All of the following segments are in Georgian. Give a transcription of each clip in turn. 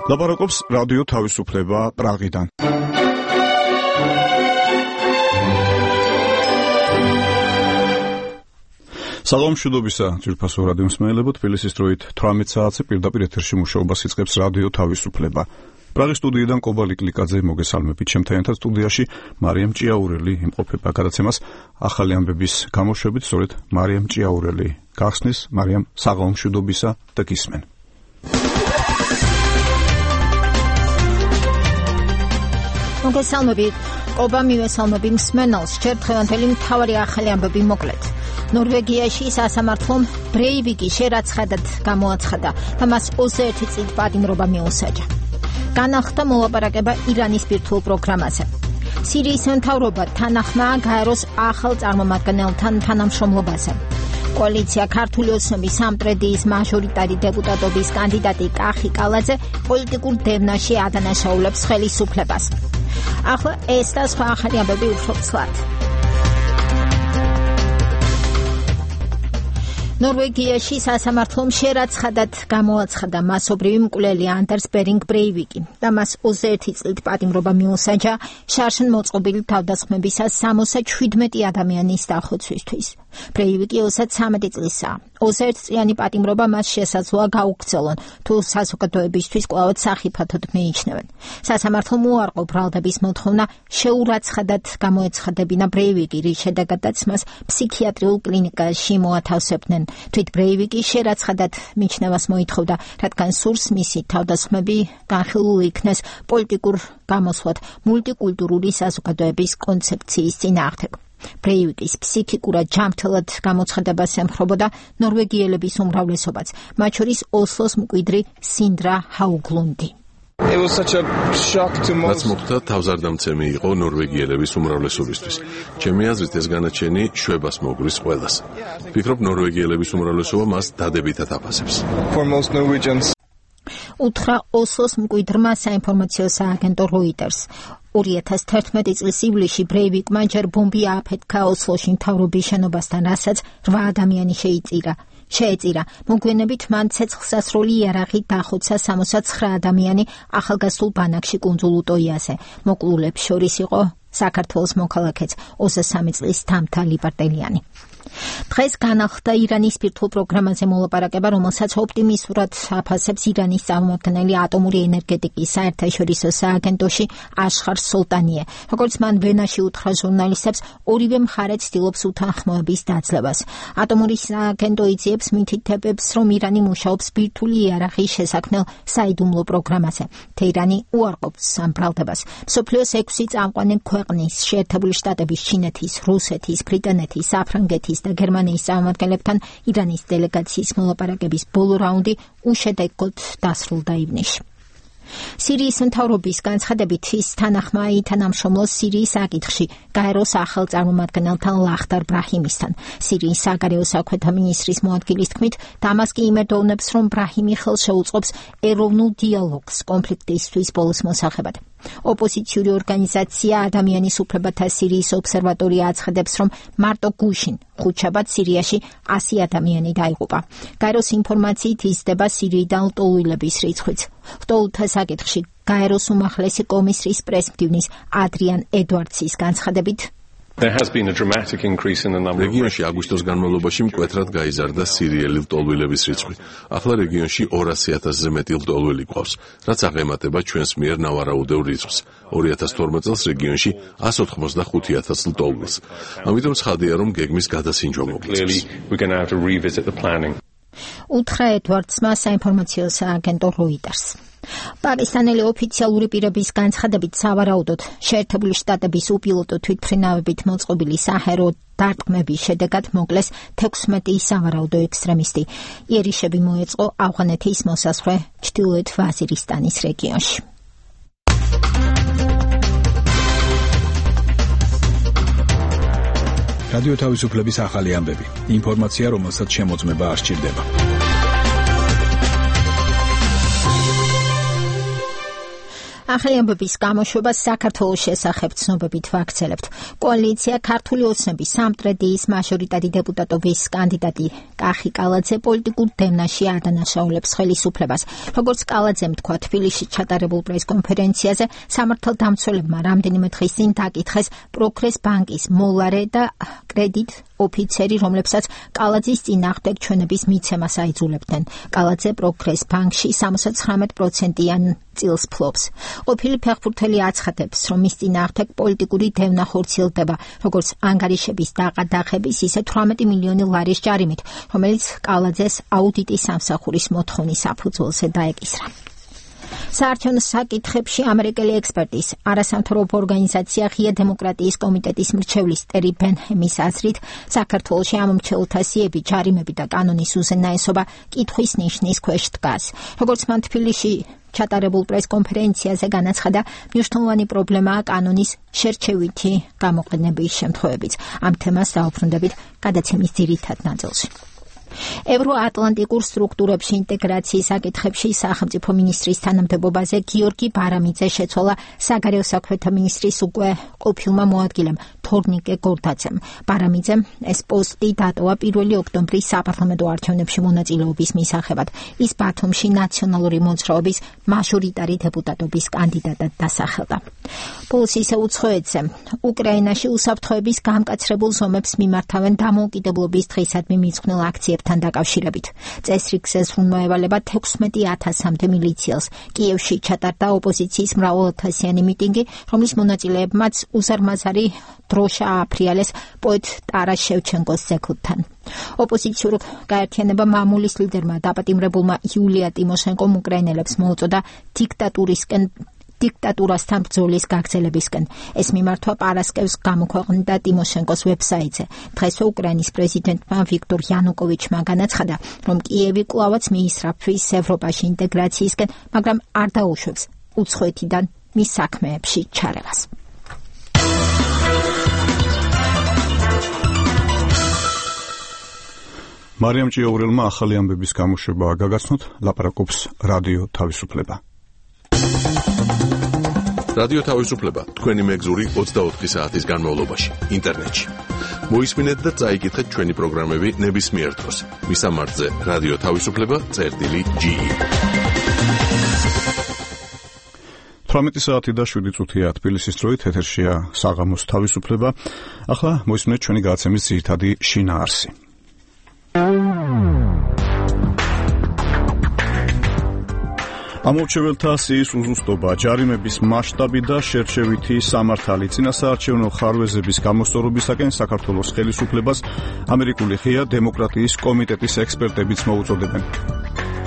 ლაპარაკობს რადიო თავისუფლება პრაღიდან. სალამ მშვიდობისა ძვირფასო რადიო მსმენელებო, თბილისის დროით 18 საათზე პირდაპირ ეთერში მუშაობას იწყებს რადიო თავისუფლება. პრაღის სტუდიიდან კობალი კლიკაძე მოგესალმებით. ჩემთან ერთად სტუდიაში მარიამ ჭიაურელი იმყოფება. გადაცემას ახალი ამბების გამოშვებით სწორედ მარიამ ჭიაურელი გახსნის. მარიამ, საღამო მშვიდობისა და გისმენ. მოგესალმებით. ყობა მივესალმები მსმენელს. ჯერ დღევანდელი მთავარი ახალი ამბები მოკლედ. ნორვეგიაში სასამართლომ ბრეივიკი შერაცხადად გამოაცხადა და მას 21 წლით პატიმრობა მიუსაჯა. განახლდა მოლაპარაკება ირანის ბირთვულ პროგრამაზე. სირიის მთავრობა თანახმა გაეროს ახალ წარმომადგენელთან თანამშრომლობაზე. კოალიცია ქართული ოცნების სამტრედიის მაჟორიტარი დეპუტატობის კანდიდატი კახი კალაძე პოლიტიკურ დევნაში ადანაშაულებს ხელისუფლებას. ახლა ეს და სხვა ახალი ამბები უფრო ცლად. ნორვეგიაში სასამართლომ შერაცხადად გამოაცხადა მასობრივი მკვლელი ანდერს ბერინგ ბრეივიკი და მას 21 წლით პატიმრობა მიუსაჯა შარშან მოწყობილი თავდასხმებისას 77 ადამიანის დახოცვისთვის. ბრეივიკი 23 წლისაა. 21 წლიანი პატიმრობა მას შესაძლოა გაუგრძელონ, თუ საზოგადოებისთვის კვლავ სახიფათოდ მიიჩნევენ. სასამართლომ უარყო ბრალდების მოთხოვნა შეურაცხადად გამოეცხადებინა ბრეივიკი, რის შედეგადაც მას ფსიქიატრიულ კლინიკაში მოათავსებდნენ. თვით ბრეივიკი შერაცხადად მიჩნევას მოითხოვდა, რადგან სურს მისი თავდასხმები განხილული იქნეს პოლიტიკურ გამოსვლად მულტიკულტურული საზოგადოების კონცეფციის წინააღმდეგ. ბრეივიკის ფსიქიკურად ჯანმრთელად გამოცხადებას ემხრობოდა ნორვეგიელების უმრავლესობაც, მათ შორის ოსლოს მკვიდრი სინდრა ჰაუგლუნდი. რაც მოხდა, თავზარდამცემი იყო ნორვეგიელების უმრავლესობისთვის. ჩემი აზრით ეს განაჩენი შვებას მოგრის ყველას. ვფიქრობ, ნორვეგიელების უმრავლესობა მას დადებითად აფასებს. უთხრა ოსლოს მკვიდრმა საინფორმაციო სააგენტო როიტერს. 2011 წლის ივლისში ბრეივიკმა ჯერ ბომბი ააფეთქა ოსლოში მთავრობის შენობასთან, რასაც 8 ადამიანი შეეწირა. მოგვიანებით მან ცეცხლსასროლი იარაღი დახოცა 69 ადამიანი ახალგაზრდულ ბანაკში კუნძულ უტოიაზე. მოკლულებს შორის იყო საქართველოს მოქალაქეც 23 წლის თამთა ლიბარტელიანი. დღეს განახლდა ირანის ბირთვულ პროგრამაზე მოლაპარაკება, რომელსაც ოპტიმისტურად აფასებს ირანის წარმომადგენელი ატომური ენერგეტიკის საერთაშორისო სააგენტოში აშხარ სოლტანიე. როგორც მან ვენაში უთხრა ჟურნალისტებს, ორივე მხარე ცდილობს უთანხმოების დაძლევას. ატომური სააგენტო იძიებს მითითებებს, რომ ირანი მუშაობს ბირთვული იარაღის შესაქმნელ საიდუმლო პროგრამაზე. თეირანი უარყოფს ამ ბრალდებას. მსოფლიოს 6 წამყვანი ქვეყნის, შეერთებული შტატების, ჩინეთის, რუსეთის, ბრიტანეთის, საფრანგეთის და გერმანიის წარმომადგენლებთან ირანის დელეგაციის მოლაპარაკების ბოლო რაუნდი უშედეგოდ დასრულდა ივნისში. სირიის მთავრობის განცხადებით ის თანახმა ითანამშრომლოს სირიის საკითხში გაეროს ახალ წარმომადგენელთან ლახდარ ბრაჰიმისთან. სირიის საგარეო საქმეთა მინისტრის მოადგილის თქმით, დამასკი იმედოვნებს, რომ ბრაჰიმი ხელს შეუწყობს ეროვნულ დიალოგს კონფლიქტისთვის ბოლოს მოსახებად. ოპოზიციური ორგანიზაცია ადამიანის უფლებათა სირიის ობსერვატორია აცხადებს, რომ მარტო გუშინ ხუთშაბათ სირიაში 100 ადამიანი დაიღუპა. გაეროს ინფორმაციით იზრდება სირიიდან ლტოლვილების რიცხვიც. ლტოლვილთა საკითხში გაეროს უმაღლესი კომისრის პრესმდივნის ადრიან ედვარდსის განცხადებით, რეგიონში აგვისტოს განმავლობაში მკვეთრად გაიზარდა სირიელი ლტოლვილების რიცხვი. ახლა რეგიონში 200,000-ზე მეტი ლტოლვილი გვყავს, რაც აღემატება ჩვენს მიერ ნავარაუდევ რიცხვს. 2012 წელს რეგიონში 185,000 ლტოლვილს. ამიტომ ცხადია, რომ გეგმის გადასინჯვა მოგვიწევს. უთხრა ედვარდსმა საინფორმაციო სააგენტო როიტერს. პაკისტანელი ოფიციალური პირების განცხადებით, სავარაუდოდ შეერთებული შტატების უპილოტო თვითმფრინავებით მოწყობილი საჰაერო დარტყმების შედეგად მოკლეს 16 სავარაუდო ექსტრემისტი. იერიშები მოეწყო ავღანეთის მოსაზღვრე ჩრდილოეთ ვაზირისტანის რეგიონში. რადიო თავისუფლების ახალი ამბები. ინფორმაცია, რომელსაც შემოწმება არ სჭირდება. ახალი ამბების გამოშვებას საქართველოს შესახებ ცნობებით ვაქცელებთ. კოალიცია ქართული ოცნების სამტრედიის მაჟორიტარი დეპუტატობის კანდიდატი კახი კალაძე პოლიტიკურ დევნაში ადანაშაულებს ხელისუფლებას. როგორც კალაძემ თქვა თბილისში ჩატარებულ პრესკონფერენციაზე, სამართალდამცველებმა რამდენიმე დღის წინ დაკითხეს პროგრეს ბანკის მოლარე და კრედიტ ოფიცერი, რომლებსაც კალაძის წინააღმდეგ ჩვენების მიცემას აიძულებდნენ. კალაძე პროგრეს ბანკში 79%-იან წილს ფლობს. ყოფილი ფეხბურთელი აცხადებს, რომ მის წინააღმდეგ პოლიტიკური დევნა ხორციელდება, როგორც ანგარიშების დაყადაღების, ისე 18 მილიონი ლარის ჯარიმით, რომელიც კალაძეს აუდიტის სამსახურის მოთხოვნის საფუძველზე დაეკისრა. საარჩევნო საკითხებში ამერიკელი ექსპერტის არასამთავრობო ორგანიზაცია ღია დემოკრატიის კომიტეტის მრჩევლის ტერი ბენჰემის აზრით, საქართველოში ამომრჩეველთა სიები, ჯარიმები და კანონის უზენაესობა კითხვის ნიშნის ქვეშ დგას. როგორც მან თბილისში ჩატარებულ პრესკონფერენციაზე განაცხადა, მნიშვნელოვანი პრობლემაა კანონის შერჩევითი გამოყენების შემთხვევებიც. ამ თემას დავუბრუნდებით გადაცემის ძირითად ნაწილში. ევროატლანტიკურ სტრუქტურებში ინტეგრაციის საკითხებში სახელმწიფო მინისტრის თანამდებობაზე გიორგი ბარამიძე შეცვალა საგარეო საქმეთა მინისტრის უკვე ყოფილმა მოადგილემ თორნიკე გორდაძემ. ბარამიძემ ეს პოსტი დატოვა 1 ოქტომბრის საპარლამენტო არჩევნებში მონაწილეობის მისაღებად. ის ბათუმში ნაციონალური მოძრაობის მაჟორიტარი დეპუტატობის კანდიდატად დასახელდა. პულს ისე უცხოეთზე. უკრაინაში უსაფრთხოების გამკაცრებულ ზომებს მიმართავენ დამოუკიდებლობის დღისადმი მიძღვნილ აქციებთან დაკავშირებით. წესრიგზე ზრუნვა-ევალება 16,000-მდე მილიციელს. კიევში ჩატარდა ოპოზიციის მრავალათასიანი მიტინგი, რომლის მონაწილეებმაც უზარმაზარი დროშა ააფრიალეს პოეტ ტარას შევჩენკოს ძეგლთან. ოპოზიციურ გაერთიანება მამულის ლიდერმა დაპატიმრებულმა იულია ტიმოშენკომ უკრაინელებს მოუწოდა დიქტატურასთან ბრძოლის გაგრძელებისკენ. ეს მიმართვა პარასკევს გამოქვეყნდა ტიმოშენკოს ვებსაიტზე. დღესვე უკრაინის პრეზიდენტმა ვიქტორ იანუკოვიჩმა განაცხადა, რომ კიევი კვლავაც მიისწრაფვის ევროპაში ინტეგრაციისკენ, მაგრამ არ დაუშვებს უცხოეთიდან მის საქმეებში ჩარევას. მარიამ ჭიაურელმა ახალი ამბების გამოშვება გაგაცნოთ, ლაპარაკობს რადიო თავისუფლება. რადიო თავისუფლება თქვენი მეგზური 24 საათის განმავლობაში ინტერნეტში. მოისმინეთ და წაიკითხეთ ჩვენი პროგრამები ნებისმიერ დროს. მისამართზე რადიო თავისუფლება.ge 18 საათი და 7 წუთია თბილისის დროით, ეთერშია საღამოს თავისუფლება. ახლა მოისმინეთ ჩვენი გადაცემის ძირითადი შინაარსი. ამომრჩეველთა სიის უზუსტობა, ჯარიმების მასშტაბი და შერჩევითი სამართალი. წინასაარჩევნო ხარვეზების გამოსწორებისაკენ საქართველოს ხელისუფლებას ამერიკული ღია დემოკრატიის კომიტეტის ექსპერტებიც მოუწოდებენ.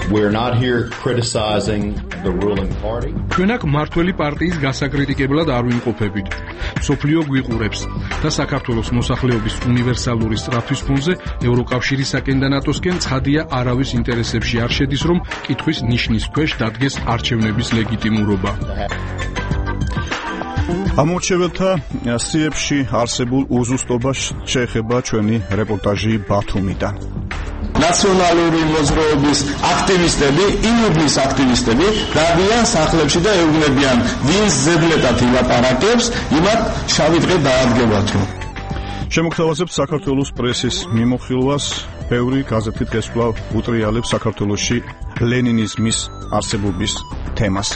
We're not here criticizing the ruling party. ჩვენ აქ მმართველი პარტიის გასაკრიტიკებლად არ ვიმყოფებით. სოფლიო გვიყურებს და საქართველოს მოსახლეობის უნივერსალური სწრაფვის ფონზე ევროკავშირისაკენ და ნატოსკენ ცხადია არავის ინტერესებში არ შედის, რომ კითხვის ნიშნის ქვეშ დადგეს არჩევნების ლეგიტიმურობა. ამომრჩეველთა სიებში არსებულ უზუსტობას შეეხება ჩვენი რეპორტაჟი ბათუმიდან. ნაციონალური მოძრაობის აქტივისტები, იუბლის აქტივისტები დადიან სახლებში და ეუბნებიან, ვინც ზედმეტად ილაპარაკებს, იმათ შავი დღე დაადგებათო. შემოგთავაზებთ საქართველოს პრესის მიმოხილვას. ბევრი გაზეთი დღეს კვლავ უტრიალებს საქართველოში ლენინიზმის არსებობის თემას.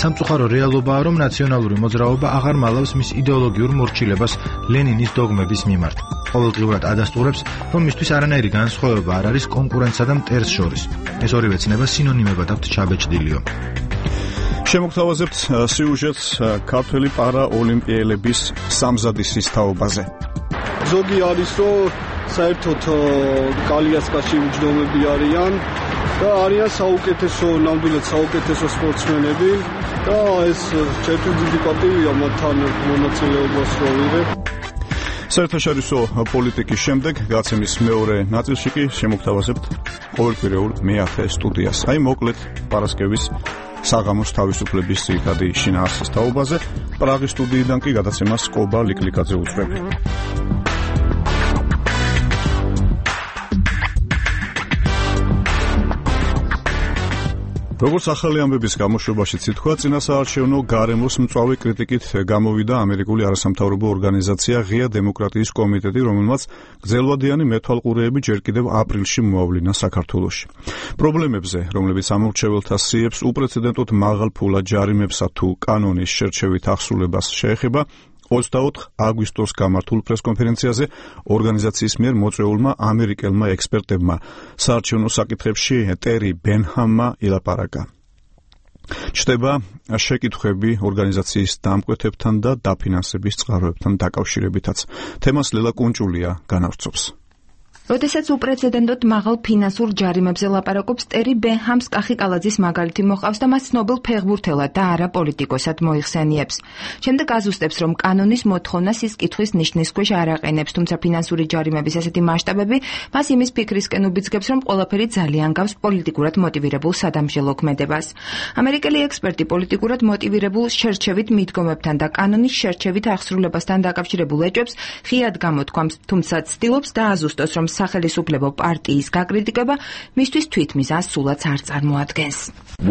სამწუხარო რეალობაა, რომ ნაციონალური მოძრაობა აღარ მალავს მის იდეოლოგიურ მორჩილებას ლენინის დოგმების მიმართ. ყოველდღიურად ადასტურებს, რომ მისთვის არანაირი განსხვავება არ არის კონკურენტსა და მტერს შორის. ეს ორივე ცნება სინონიმებად აქვთ ჩაბეჭდილიო. შემოგთავაზებთ სიუჟეტს ქართველი პარაოლიმპიელების სამზადისის თაობაზე. ზოგი არის, რომ საერთოდ კალიასკაში უჯდომები არიან და არიან საუკეთესო, ნამდვილად საუკეთესო სპორტსმენები და ეს ჩემთვის დიდი პატივია მათთან მონაწილეობას რო ვიღებ. საერთაშორისო პოლიტიკის შემდეგ გაცემის მეორე ნაწილში კი შემოგთავაზებთ ყოველკვირეულ მე-10 სტუდიას. აი მოკლედ პარასკევის საღამოს თავისუფლების ძირითადი შინაარსის თაობაზე. პრაღის სტუდიიდან კი გადაცემას კობა ლიკლიკაძე უძღვები. როგორც ახალი ამბების გამოშვებაშიც ითქვა, წინასაარჩევნო გარემოს მწვავე კრიტიკით გამოვიდა ამერიკული არასამთავრობო ორგანიზაცია ღია დემოკრატიის კომიტეტი, რომელმაც გრძელვადიანი მეთვალყურეები ჯერ კიდევ აპრილში მოავლინა საქართველოში. პრობლემებზე, რომლებიც ამორჩეველთა სიებს უპრეცედენტოდ მაღალ ფულად ჯარიმებსა თუ კანონის შერჩევით ახსულებას შეეხება, 24 აგვისტოს გამართულ პრესკონფერენციაზე ორგანიზაციის მიერ მოწვეულმა ამერიკელმა ექსპერტებმა საარჩევნო საკითხებში ტერი ბენჰამმა ილაპარაკა. ჩნდება შეკითხვები ორგანიზაციის დამკვეთებთან და დაფინანსების წყაროებთან დაკავშირებითაც. თემას ლელა კუნჭულია განავრცობს. როდესაც უპრეცედენტოდ მაღალ ფინანსურ ჯარიმებზე ლაპარაკობს, ტერი ბენჰამს კახიკალაძის მაგალითი მოყავს და მას ცნობილ ფეხბურთელად და არა პოლიტიკოსად მოიხსენიებს. შემდეგ აზუსტებს, რომ კანონის მოთხოვნას ის კითხვის ნიშნის ქვეშ არ აყენებს, თუმცა ფინანსური ჯარიმების ასეთი მასშტაბები მას იმის ფიქრისკენ უბიძგებს, რომ ყველაფერი ძალიან გავს პოლიტიკურად მოტივირებულ სადამსჯელო ქმედებას. ამერიკელი ექსპერტი პოლიტიკურად მოტივირებულ შერჩევით მიდგომებთან და კანონის შერჩევით აღსრულებასთან დაკავშირებულ ეჭვებს ღიად გამოთქვამს, თუმცა ცდილობს დააზუსტოს, რომ სახელისუფლებო პარტიის გაკრიტიკება მისთვის თვითმიზანს სულაც არ წარმოადგენს.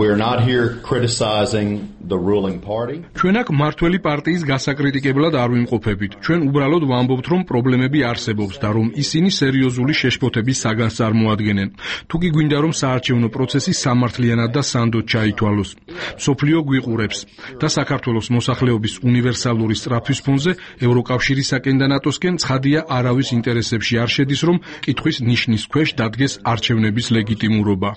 We're not here criticizing the ruling party. ჩვენ აქ მართველი პარტიის გასაკრიტიკებლად არ ვიმყოფებით. ჩვენ უბრალოდ ვამბობთ, რომ პრობლემები არსებობს და რომ ისინი სერიოზული შეშფოთების საგანს წარმოადგენენ. თუ კი გვინდა, რომ საარჩევნო პროცესი სამართლიანად და სანდოდ ჩაითვალოს. მსოფლიო გვიყურებს და საქართველოს მოსახლეობის უნივერსალური სწრაფვის ფონზე ევროკავშირისაკენ და ნატოსკენ ცხადია არავის ინტერესებში არ შედის, რომ კითხვის ნიშნის ქვეშ დადგეს არჩევნების ლეგიტიმურობა.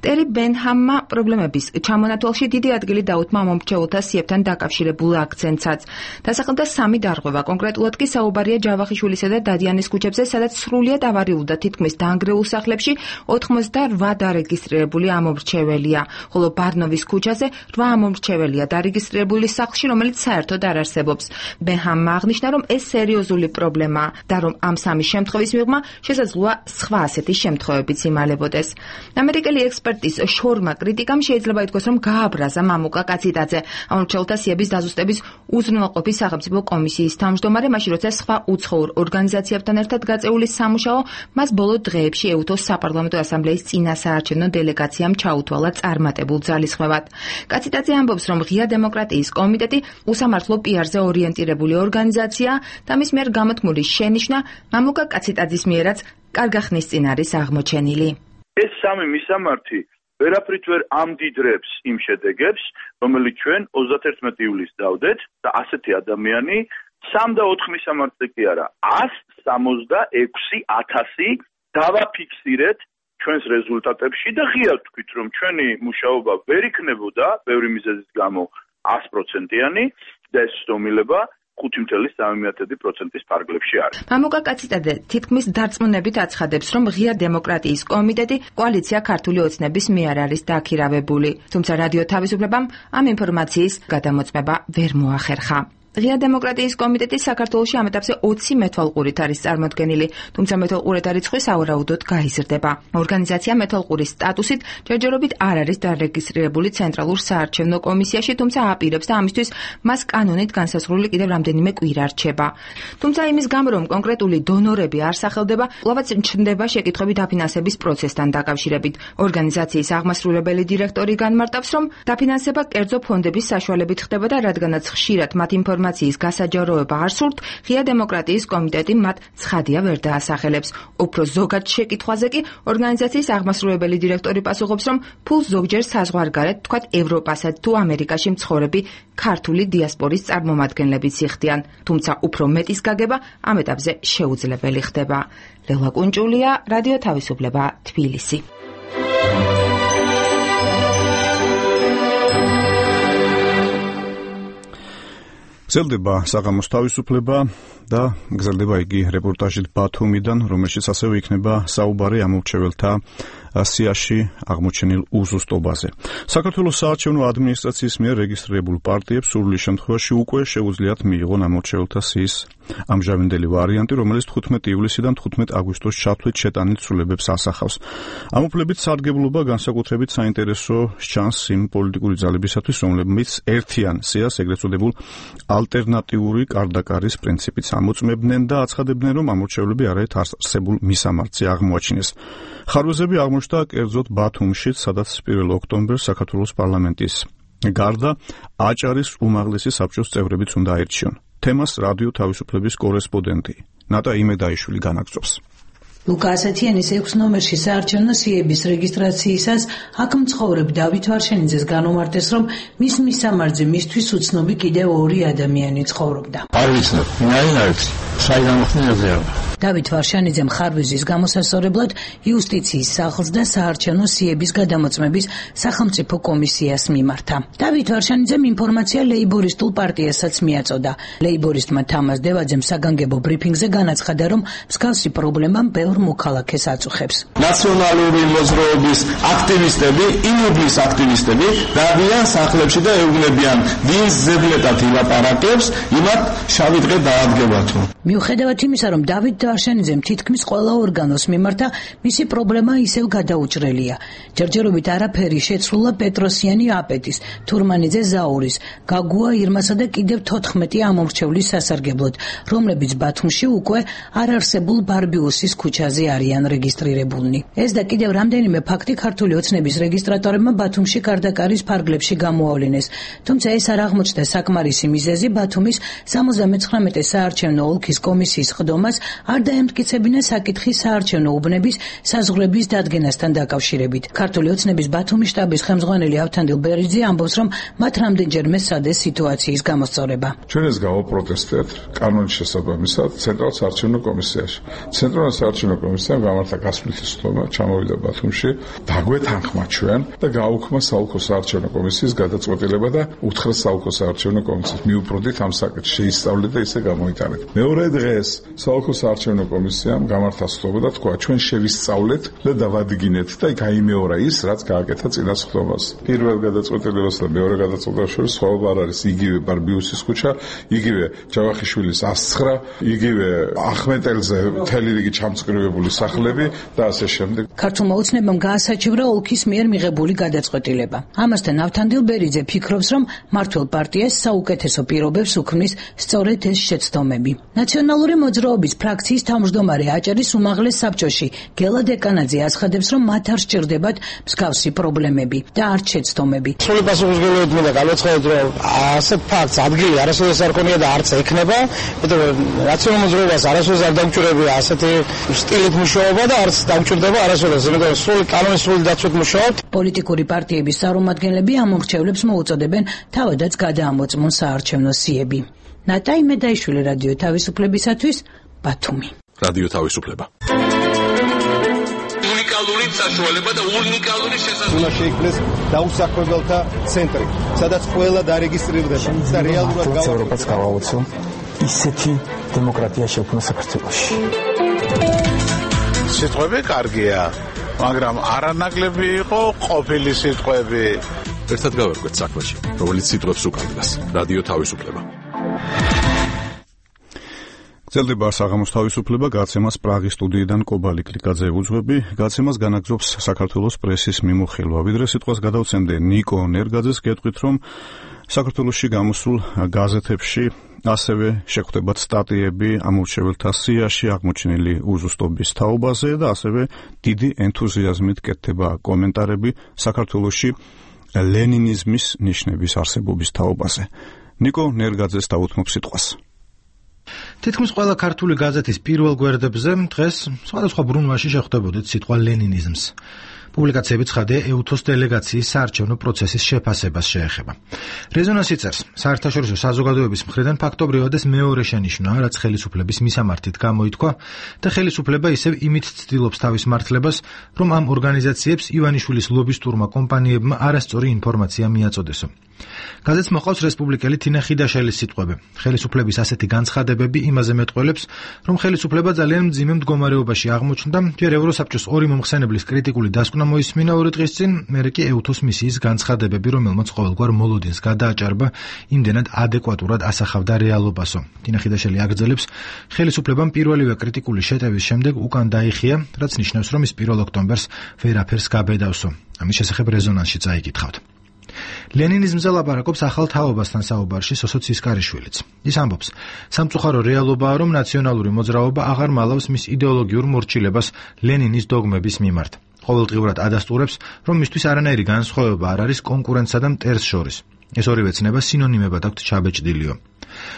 ტერი ბენჰამმა პრობლემების ჩამონათვალში დიდი ადგილი დაუთმა მომრჩეულთა სიებთან დაკავშირებულ აქცენტსაც. დასახელდა 3 დარღვევა, კონკრეტულად კი საუბარია ჯავახიშვილისა და დადიანის ქუჩებზე, სადაც სრულიად ავარიულ და თითქმის დაანგრეულ სახლებში 88 დარეგისტრირებული ამომრჩეველია, ხოლო ბარნოვის ქუჩაზე 8 ამომრჩეველია დარეგისტრირებული სახლში, რომელიც საერთოდ არ არსებობს. ბენჰამმა აღნიშნა, რომ ეს სერიოზული პრობლემაა და რომ ამ 3 შემთხვევის მიღმა შესაძლოა სხვა ასეთი შემთხვევებიც იმალებოდეს. ამერიკელი ექსპერტის შორმა კრიტიკამ შეიძლება ითქვას, რომ გააბრაზა მამუკა კაციტაძე, ამორჩეულთა სიების დაზუსტების უზრუნველყოფის სახელმწიფო კომისიის თავმჯდომარე, მაშინ როცა სხვა უცხოურ ორგანიზაციებთან ერთად გაწეული სამუშაო მას ბოლო დღეებში ეუთოს საპარლამენტო ასამბლეის წინასაარჩევნო დელეგაციამ ჩაუთვალა წარმატებულ ძალისხმევად. კაციტაძე ამბობს, რომ ღია დემოკრატიის კომიტეტი უსამართლო პიარზე ორიენტირებული ორგანიზაციაა და მის მიერ გამოთქმული შენიშვნა მამუკა კაციტაძის მიერაც კარგახნის წინ არის აღმოჩენილი. ეს 3 მისამართი ვერაფრით ვერ ამდიდრებს იმ შედეგებს, რომელიც ჩვენ 31 ივლისს დავდეთ და ასეთი ადამიანი 3 და 4 მისამართზე კი არა, 166,000 დავაფიქსირეთ ჩვენს რეზულტატებში და ღიად ვთქვით, რომ ჩვენი მუშაობა ვერ იქნებოდა ბევრი მიზეზის გამო 100%-იანი და ეს ცდომილება 5.3% ფარგლებში არის. მამუკა კაციტაძე თითქმის დარწმუნებით აცხადებს, რომ ღია დემოკრატიის კომიტეტი კოალიცია ქართული ოცნების მიერ არის დაქირავებული, თუმცა რადიო თავისუფლებამ ამ ინფორმაციის გადამოწმება ვერ მოახერხა. ღია დემოკრატიის კომიტეტი საქართველოში ამ ეტაპზე 20 მეთვალყურით არის წარმოდგენილი, თუმცა მეთვალყურეთა რიცხვი სავარაუდოდ გაიზრდება. ორგანიზაცია მეთვალყურის სტატუსით ჯერჯერობით არ არის დარეგისტრირებული ცენტრალურ საარჩევნო კომისიაში, თუმცა აპირებს და ამისთვის მას კანონით განსაზღვრული კიდევ რამდენიმე კვირა რჩება. თუმცა იმის გამო, რომ კონკრეტული დონორები არ სახელდება, კვლავაც ჩნდება შეკითხვები დაფინანსების პროცესთან დაკავშირებით. ორგანიზაციის აღმასრულებელი დირექტორი განმარტავს, რომ დაფინანსება კერძო ფონდების საშუალებით ხდება და რადგანაც ხშირად მათ ინფორმაციის გასაჯაროება არ სურთ, ღია დემოკრატიის კომიტეტი მათ ცხადია ვერ დაასახელებს. უფრო ზოგად შეკითხვაზე კი ორგანიზაციის აღმასრულებელი დირექტორი პასუხობს, რომ ფულს ზოგჯერ საზღვარგარეთ, თქვათ ევროპასა თუ ამერიკაში მცხოვრები ქართული დიასპორის წარმომადგენლებიც იხდიან, თუმცა უფრო მეტის გაგება ამ ეტაპზე შეუძლებელი ხდება. ლელა კუნჭულია, რადიო თავისუფლება, თბილისი. გრძელდება საღამოს თავისუფლება და გრძელდება იგი რეპორტაჟით ბათუმიდან, რომელშიც ასევე იქნება საუბარი ამორჩეველთა სიაში აღმოჩენილ უზუსტობაზე. საქართველოს საარჩევნო ადმინისტრაციის მიერ რეგისტრირებულ პარტიებს სრული შემთხვევაში უკვე შეუძლიათ მიიღონ ამორჩეულთა სიის ამჟამინდელი ვარიანტი, რომელიც 15 ივლისიდან 15 აგვისტოს ჩათვლით შეტანილ ცვლილებებს ასახავს. ამ უფლებით სარგებლობა განსაკუთრებით საინტერესო სჩანს იმ პოლიტიკური ძალებისათვის, რომლებიც ერთიან სიას ეგრეთ წოდებულ ალტერნატიული კარდაკარის პრინციპით ამოწმებდნენ და აცხადებდნენ, რომ ამორჩეულები არაერთ არსებულ მისამართზე აღმოაჩინეს. ხარვეზები აღმოჩნდა კერძოდ ბათუმშიც, სადაც 1 ოქტომბერს საქართველოს პარლამენტის გარდა აჭარის უმაღლესი საბჭოს წევრებიც უნდა აირჩიონ. თემას რადიო თავისუფლების კორესპონდენტი ნატა იმედაიშვილი განაგრძობს. ლუკა ასათიანის 6 ნომერში საარჩევნო სიების რეგისტრაციისას აქ მცხოვრებ დავით ვარშენიძეს განუმარტეს, რომ მის მისამართზე მისთვის უცნობი კიდევ 2 ადამიანი ცხოვრობდა. არ ვიცნობ, ვინ არის? საიდან მოხდენაზე? დავით ვარშენიძემ ხარვეზის გამოსასწორებლად იუსტიციის სახლს და საარჩევნო სიების გადამოწმების სახელმწიფო კომისიას მიმართა. დავით ვარშენიძემ ინფორმაცია ლეიბორისტულ პარტიასაც მიაწოდა. ლეიბორისტმა თამაზ დევაძემ საგანგებო ბრიფინგზე განაცხადა, რომ მსგავსი პრობლემა ბევრ მოქალაქეს აწუხებს. ნაციონალური მოძრაობის აქტივისტები, ინუბლის აქტივისტები დადიან სახლებში და ეუბნებიან, ვინ ზებლეტად ილაპარაკებს, იმათ შავი დღე დაადგება თუ. მიუხედავად იმისა, რომ დავით ვარშენიძემ თითქმის ყველა ორგანოს მიმართა, მისი პრობლემა ისევ გადაუჭრელია. ჯერჯერობით არაფერი შეცვლა პეტროსიანი აპეტის, თურმანიძე ზაურის, გაგუა ირმასა და კიდევ 14 ამორჩევლის სასარგებლოდ, რომლებიც ბათუმში უკვე არარსებულ ბარბიუსის ქუჩაზე არიან რეგისტრირებულნი. ეს და კიდევ რამდენიმე ფაქტი ქართული ოცნების რეგისტრატორებმა ბათუმში კარდაკარის ფარგლებში გამოავლინეს. თუმცა ეს არ აღმოჩნდა საკმარისი მიზეზი ბათუმის 79 საარჩევნო ოლქის კომისიის ხდომას არ დაემტკიცებინა საკითხი საარჩევნო უბნების საზღვრების დადგენასთან დაკავშირებით. ქართული ოცნების ბათუმის შტაბის ხელმძღვანელი ავთანდილ ბერიძე ამბობს, რომ მათ რამდენჯერმე სცადეს სიტუაციის გამოსწორება. ჩვენ ეს გავაპროტესტეთ კანონის შესაბამისად ცენტრალურ საარჩევნო კომისიაში. ცენტრალურ საარჩევნო კომისიამ გამართა გასვლითი სხდომა, ჩამოვიდა ბათუმში, დაგვეთანხმა ჩვენ და გააუქმა საოლქო საარჩევნო კომისიის გადაწყვეტილება და უთხრა საოლქო საარჩევნო კომისიას მიუბრუნდით ამ საკითხს, შეისწავლეთ და ისე გამოიტანეთ. მეორე დღეს საოლქო საარჩევნო კომისიამ გამართა სხდომა და თქვა, ჩვენ შევისწავლეთ და დავადგინეთ და გაიმეორა ის, რაც გააკეთა წინა სხდომას. პირველ გადაწყვეტილებას და მეორე გადაწყვეტილებას შორის სხვაობა არ არის. იგივე ბარბიუსის ქუჩა, იგივე ჯავახიშვილის 109, იგივე ახმეტელზე მთელი რიგი ჩამწკრივებული სახლები და ასე შემდეგ. ქართულმა ოცნებამ გაასაჩივრა ოლქის მიერ მიღებული გადაწყვეტილება. ამასთან ავთანდილ ბერიძე ფიქრობს, რომ მმართველ პარტიას საუკეთესო პირობებს უქმნის სწორედ ეს შეცდომები. ნაციონალური მოძრაობის ფრაქციის თავმჯდომარე აჭარის უმაღლეს საბჭოში გელა დეკანაძე აცხადებს, რომ მათ არ სჭირდებათ მსგავსი პრობლემები და არც შეცდომები. სრული პასუხისმგებლობით მინდა გავაცხადოთ, რომ ასეთ ფაქტს ადგილი არასოდეს არ ქონია და არც ექნება, იმიტომ რომ ნაციონალურ მოძრაობას არასოდეს არ დამჭირებია ასეთი სტილით მუშაობა და არც დამჭირდება არასოდეს, იმიტომ რომ სრული კანონის სრული დაცვით მუშაობთ. პოლიტიკური პარტიების წარმომადგენლები ამორჩევლებს მოუწოდებენ თავადაც გადაამოწმონ საარჩევნო სიები. ნატა იმედაიშვილი, რადიო თავისუფლებისათვის, ბათუმი. რადიო თავისუფლება. უნიკალური საშუალება და უნიკალური შესაძლებლობა. უნდა შეიქმნეს დაუსახლებელთა ცენტრი, სადაც ყველა დარეგისტრირდება და რეალურად ევროპაც გავაოცო ისეთი დემოკრატია შექმნა საქართველოში. სიტყვები კარგია, მაგრამ არანაკლები იყო ყოფილი სიტყვები. ერთად გავერკვეთ საქმეში, რომელიც სიტყვებს უკარგავს. რადიო თავისუფლება. გრძელდება საღამოს თავისუფლება, გაცემას პრაღის სტუდიიდან კობალი კლიკაძე უძღვები. გაცემას განაგრძობს საქართველოს პრესის მიმოხილვა. ვიდრე სიტყვას გადავცემდე ნიკო ნერგაძეს, გეტყვით, რომ საქართველოში გამოსულ გაზეთებში ასევე შეხვდებათ სტატიები ამორჩეველთა სიაში აღმოჩენილი უზუსტობის თაობაზე და ასევე დიდი ენთუზიაზმით კეთდება კომენტარები საქართველოში ლენინიზმის ნიშნების არსებობის თაობაზე. ნიკო ნერგაძეს დაუთმობ სიტყვას. თითქმის ყველა ქართული გაზეთის პირველ გვერდებზე დღეს სხვადასხვა ბრუნვაში შეხვდებოდეთ სიტყვა ლენინიზმს. პუბლიკაციები ცხადია ეუთოს დელეგაციის საარჩევნო პროცესის შეფასებას შეეხება. რეზონანსი წერს, საერთაშორისო საზოგადოების მხრიდან ფაქტობრივად ეს მეორე შენიშვნაა, რაც ხელისუფლების მისამართით გამოითქვა და ხელისუფლება ისევ იმით ცდილობს თავის მართლებას, რომ ამ ორგანიზაციებს ივანიშვილის ლობისტურმა კომპანიებმა არასწორი ინფორმაცია მიაწოდესო. გაზეთს მოყავს რესპუბლიკელი თინა ხიდაშელის სიტყვები. ხელისუფლების ასეთი განცხადებები იმაზე მეტყველებს, რომ ხელისუფლება ძალიან მძიმე მდგომარეობაში აღმოჩნდა, ჯერ ევროსაბჭოს ორი მომხსენებლის კრიტიკული დასკვნა მოისმინა 2 დღის წინ, მერე კი ეუთოს მისიის განცხადებები, რომელმაც ყოველგვარ მოლოდინს გადააჭარბა, იმდენად ადეკვატურად ასახავდა რეალობასო. თინა ხიდაშელი აგრძელებს, ხელისუფლებამ პირველივე კრიტიკული შეტევის შემდეგ უკან დაიხია, რაც ნიშნავს, რომ ის 1 ოქტომბერს ვერაფერს გაბედავსო. ამის შესახებ რეზონანსში წაიკითხავთ. ლენინიზმზე ლაპარაკობს ახალ თაობასთან საუბარში სოსო ცისკარიშვილიც. ის ამბობს, სამწუხარო რეალობაა, რომ ნაციონალური მოძრაობა აღარ მალავს მის იდეოლოგიურ მორჩილებას ლენინის დოგმების მიმართ. ყოველდღიურად ადასტურებს, რომ მისთვის არანაირი განსხვავება არ არის კონკურენტსა და მტერს შორის. ეს ორივე ცნება სინონიმებად აქვთ ჩაბეჭდილიო.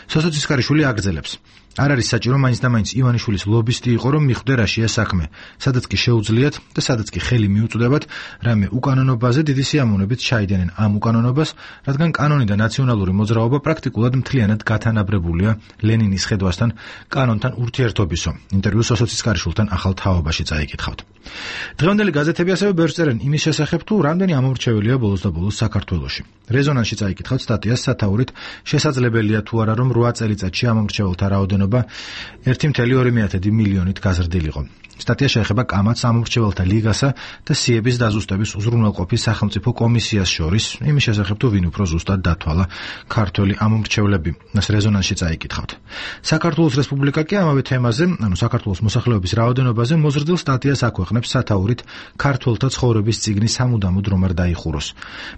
სოსო ცისკარიშვილი აგრძელებს, არ არის საჭირო მაინც და მაინც ივანიშვილის ლობისტი იყო, რომ მიხვდე რაშია საქმე, სადაც კი შეუძლიათ და სადაც კი ხელი მიუწვდებათ, რამე უკანონობაზე დიდი სიამოვნებით ჩაიდენენ ამ უკანონობას, რადგან კანონი და ნაციონალური მოძრაობა პრაქტიკულად მთლიანად გათანაბრებულია ლენინის ხედვასთან, კანონთან ურთიერთობისო. ინტერვიუ სოსო ცისკარიშვილთან ახალ თაობაში წაიკითხავთ. დღევანდელი გაზეთები ასევე ბევრს წერენ იმის შესახებ, თუ რამდენი ამორჩეველია ბოლოს და ბოლოს საქართველოში. რეზონანსში წაიკითხავთ სტატიას სათაურით, შესაძლებელია თუ არა, რომ 8 წელიწადში ამორჩეველთა რაოდენობა 1,2 მილიონით გაზრდილიყო. სტატია შეეხება კამათს ამორჩეველთა ლიგასა და სიების დაზუსტების უზრუნველყოფის სახელმწიფო კომისიას შორის, იმის შესახებ თუ ვინ უფრო ზუსტად დათვალა ქართველი ამორჩევლები. მას რეზონანსში წაიკითხავთ. საქართველოს რესპუბლიკა კი ამავე თემაზე, ანუ საქართველოს მოსახლეობის რაოდენობაზე მოზრდილ სტატიას აქვეყნებს სათაურით ქართველთა ცხოვრების წიგნი სამუდამოდ რომ არ დაიხუროს.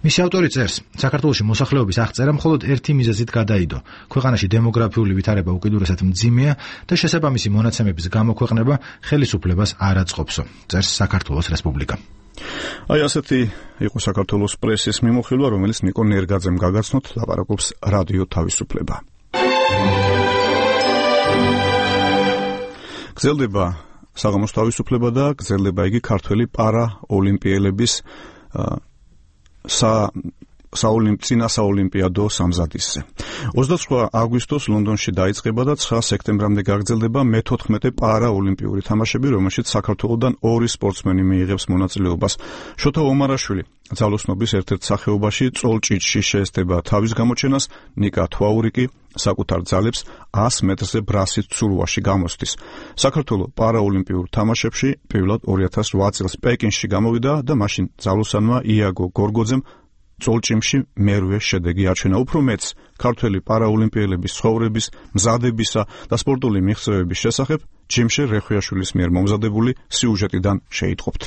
მისი ავტორი წერს, საქართველოში მოსახლეობის აღწერა მხოლოდ ერთი მიზეზით გადაიდო. ქვეყანაში დემოგრაფიული ვითარება უკიდურესად მძიმეა და შესაბამისი მონაცემების გამოქვეყნება ხელისუფლებას არ აწყობსო, წერს საქართველოს რესპუბლიკა. აი ასეთი იყო საქართველოს პრესის მიმოხილვა, რომელიც ნიკო ნერგაძემ გაგაცნოთ, ლაპარაკობს რადიო თავისუფლება. გრძელდება საღამოს თავისუფლება და გრძელდება იგი ქართველი პარაოლიმპიელების წინასაოლიმპიადო სამზადისზე. 29 აგვისტოს ლონდონში დაიწყება და 9 სექტემბრამდე გაგრძელდება მე-14 პარაოლიმპიური თამაშები, რომელშიც საქართველოდან 2 სპორტსმენი მიიღებს მონაწილეობას. შოთა ომარაშვილი ძალოსნობის ერთ-ერთ სახეობაში წოლჭიჭში შეესწება თავის გამოჩენას, ნიკა თვაური კი საკუთარ ძალებს 100 მეტრზე ბრასის ცურვაში გამოსდის. საქართველოს პარაოლიმპიურ თამაშებში პირველად 2008 წელს პეკინში გამოვიდა და მაშინ ძალოსანმა იაგო გორგოძემ წოლჭიმში მერვე შედეგი აჩვენა. უფრო მეც ქართველი პარაოლიმპიელების ცხოვრების, მზადებისა და სპორტული მიღწევების შესახებ ჯიმშე რეხვიაშვილის მიერ მომზადებული სიუჟეტიდან შეიტყობთ.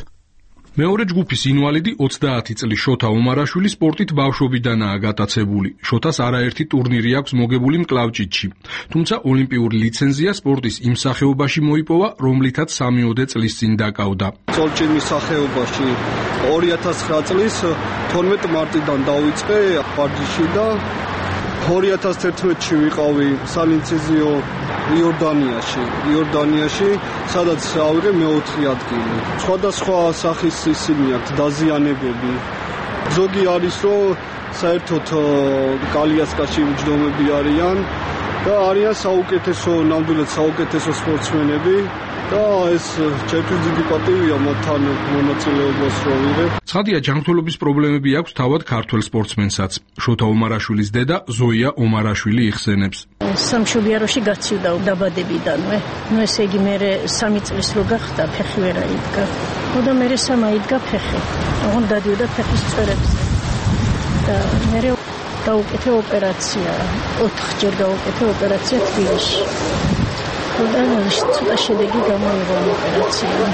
მეორე ჯგუფის ინვალიდი 30 წლის შოთა ომარაშვილი სპორტით ბავშვობიდანაა გატაცებული. შოთას არაერთი ტურნირი აქვს მოგებული მკლავჭიდში. თუმცა ოლიმპიური ლიცენზია სპორტის იმ სახეობაში მოიპოვა, რომლითაც 3 წლის წინ დაკავდა. წოლჭიმის სახეობაში 2009 წლის 12 მარტიდან დავიწყე პარჯიში და 2011-ში ვიყავი სალინცეზიო იორდანიაში, სადაც ავიღე მე-4 ადგილი. სხვადასხვა სახის ისინი აქვთ დაზიანებები. ზოგი არის, რომ საერთოდ კალიასკაში მჯდომები არიან და არიან საუკეთესო, ნამდვილად საუკეთესო სპორტსმენები. და ეს ჩემთვის დიდი პატივია მათთან მონაწილეობას რო ვიღებ. ცხადია, ჯანმრთელობის პრობლემები აქვს თავად ქართველ სპორტსმენსაც. შოთა ომარაშვილის დედა ზოია ომარაშვილი იხსენებს. სამშობიაროში გაცივდა დაბადებიდანვე. ესე იგი მე 3 წლის რო გახდა, ფეხი ვერ აიდგა. და მე 3 აიდგა ფეხი. ოღონდ დადიოდა ფეხის წვერებზე. და მე გავუკეთე ოპერაცია. 4-ჯერ გავუკეთე ოპერაცია თბილისში. და ცოტა შედეგი გამოიღო ოპერაციამ.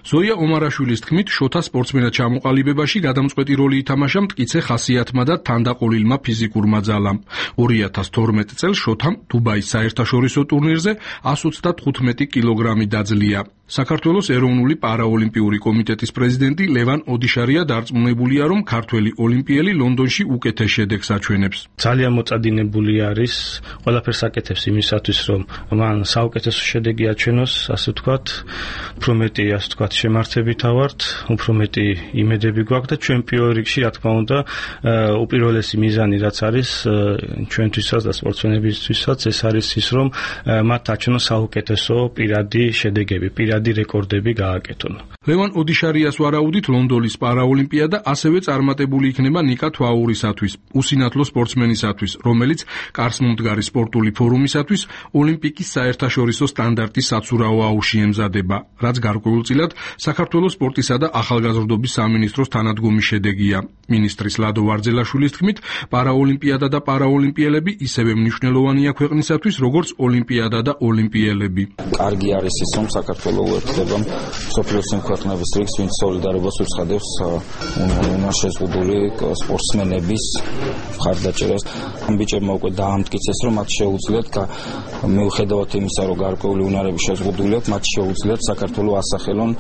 ზოია ომარაშვილის თქმით, შოთა სპორტსმენად ჩამოყალიბებაში გადამწყვეტი როლი ითამაშა მტკიცე ხასიათმა და თანდაყოლილმა ფიზიკურმა ძალამ. 2012 წელს შოთამ დუბაის საერთაშორისო ტურნირზე 125 კილოგრამი დაძლია. საქართველოს ეროვნული პარაოლიმპიური კომიტეტის პრეზიდენტი ლევან ოდიშარია დარწმუნებულია, რომ ქართველი ოლიმპიელი ლონდონში უკეთეს შედეგს აჩვენებს. ძალიან მოწადინებული არის, ყველაფერს აკეთებს იმისათვის, რომ მან საუკეთესო შედეგი აჩვენოს, ასე ვთქვათ, უფრო მეტი, ასე ვთქვათ, შემართებითა ვართ, უფრო მეტი იმედები გვაქვს და ჩემპიონ რიგში, რა თქმა უნდა, უპირველესი მიზანი რაც არის ჩვენთვისაც და სპორტსმენებისთვისაც, ეს არის ის, რომ მათ აჩვენონ საუკეთესო პირადი შედეგები, პირადი რეკორდები გააკეთონ. ლევან ოდიშარიას ვარაუდით ლონდონის პარაოლიმპიადა ასევე წარმატებული იქნება ნიკა თვაურისათვის, უსინათლო სპორტსმენისათვის, რომელიც კარსმომდგარი სპორტული ფორუმისათვის ოლიმპიკის საერთაშორისო სტანდარტის საცურაო აუში ემზადება, რაც გარკვეულწილად საქართველოს სპორტისა და ახალგაზრდობის სამინისტროს თანადგომის შედეგია. მინისტრის ლადო ვარძელაშვილის თქმით, პარაოლიმპიადა და პარაოლიმპიელები ისევე მნიშვნელოვანია ქვეყნისათვის, როგორც ოლიმპიადა და ოლიმპიელები. კარგი არის ის, რომ საქართველო უერთდება მსოფლიოს ქვეყნების რიგს, ვინც სოლიდარობას უცხადებს შეზღუდული სპორტსმენების მხარდაჭერას. ამ ბიჭებმა უკვე დაამტკიცეს, რომ მათ შეუძლიათ მიუხედავად იმისა, რომ გარკვეული უნარები შეზღუდული აქვს, მათ შეუძლიათ საქართველო ასახელონ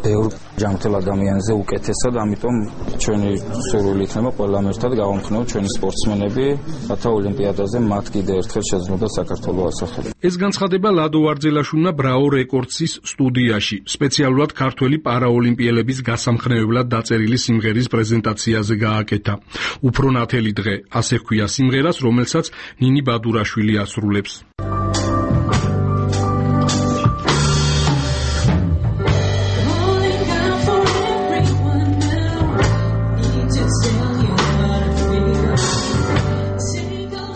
ბევრ ჯანმრთელ ადამიანზე უკეთესად, ამიტომ ჩვენი სურვილი იქნება ყველამ ერთად გავამხნევოთ ჩვენი სპორტსმენები, რათა ოლიმპიადაზე მათ კიდევ ერთხელ შეძლოთ საქართველო ასახელონ. ეს განცხადება ლადო ვარძელაშვილმა ბრაო რეკორდსის სტუდიაში, სპეციალურად ქართველი პარაოლიმპიელების გასამხნევებლად დაწერილი სიმღერის პრეზენტაციაზე გააკეთა. უფრო ნათელი დღე, ასე ჰქვია სიმღერას, რომელსაც ნინი ბადურაშვილი ასრულებს.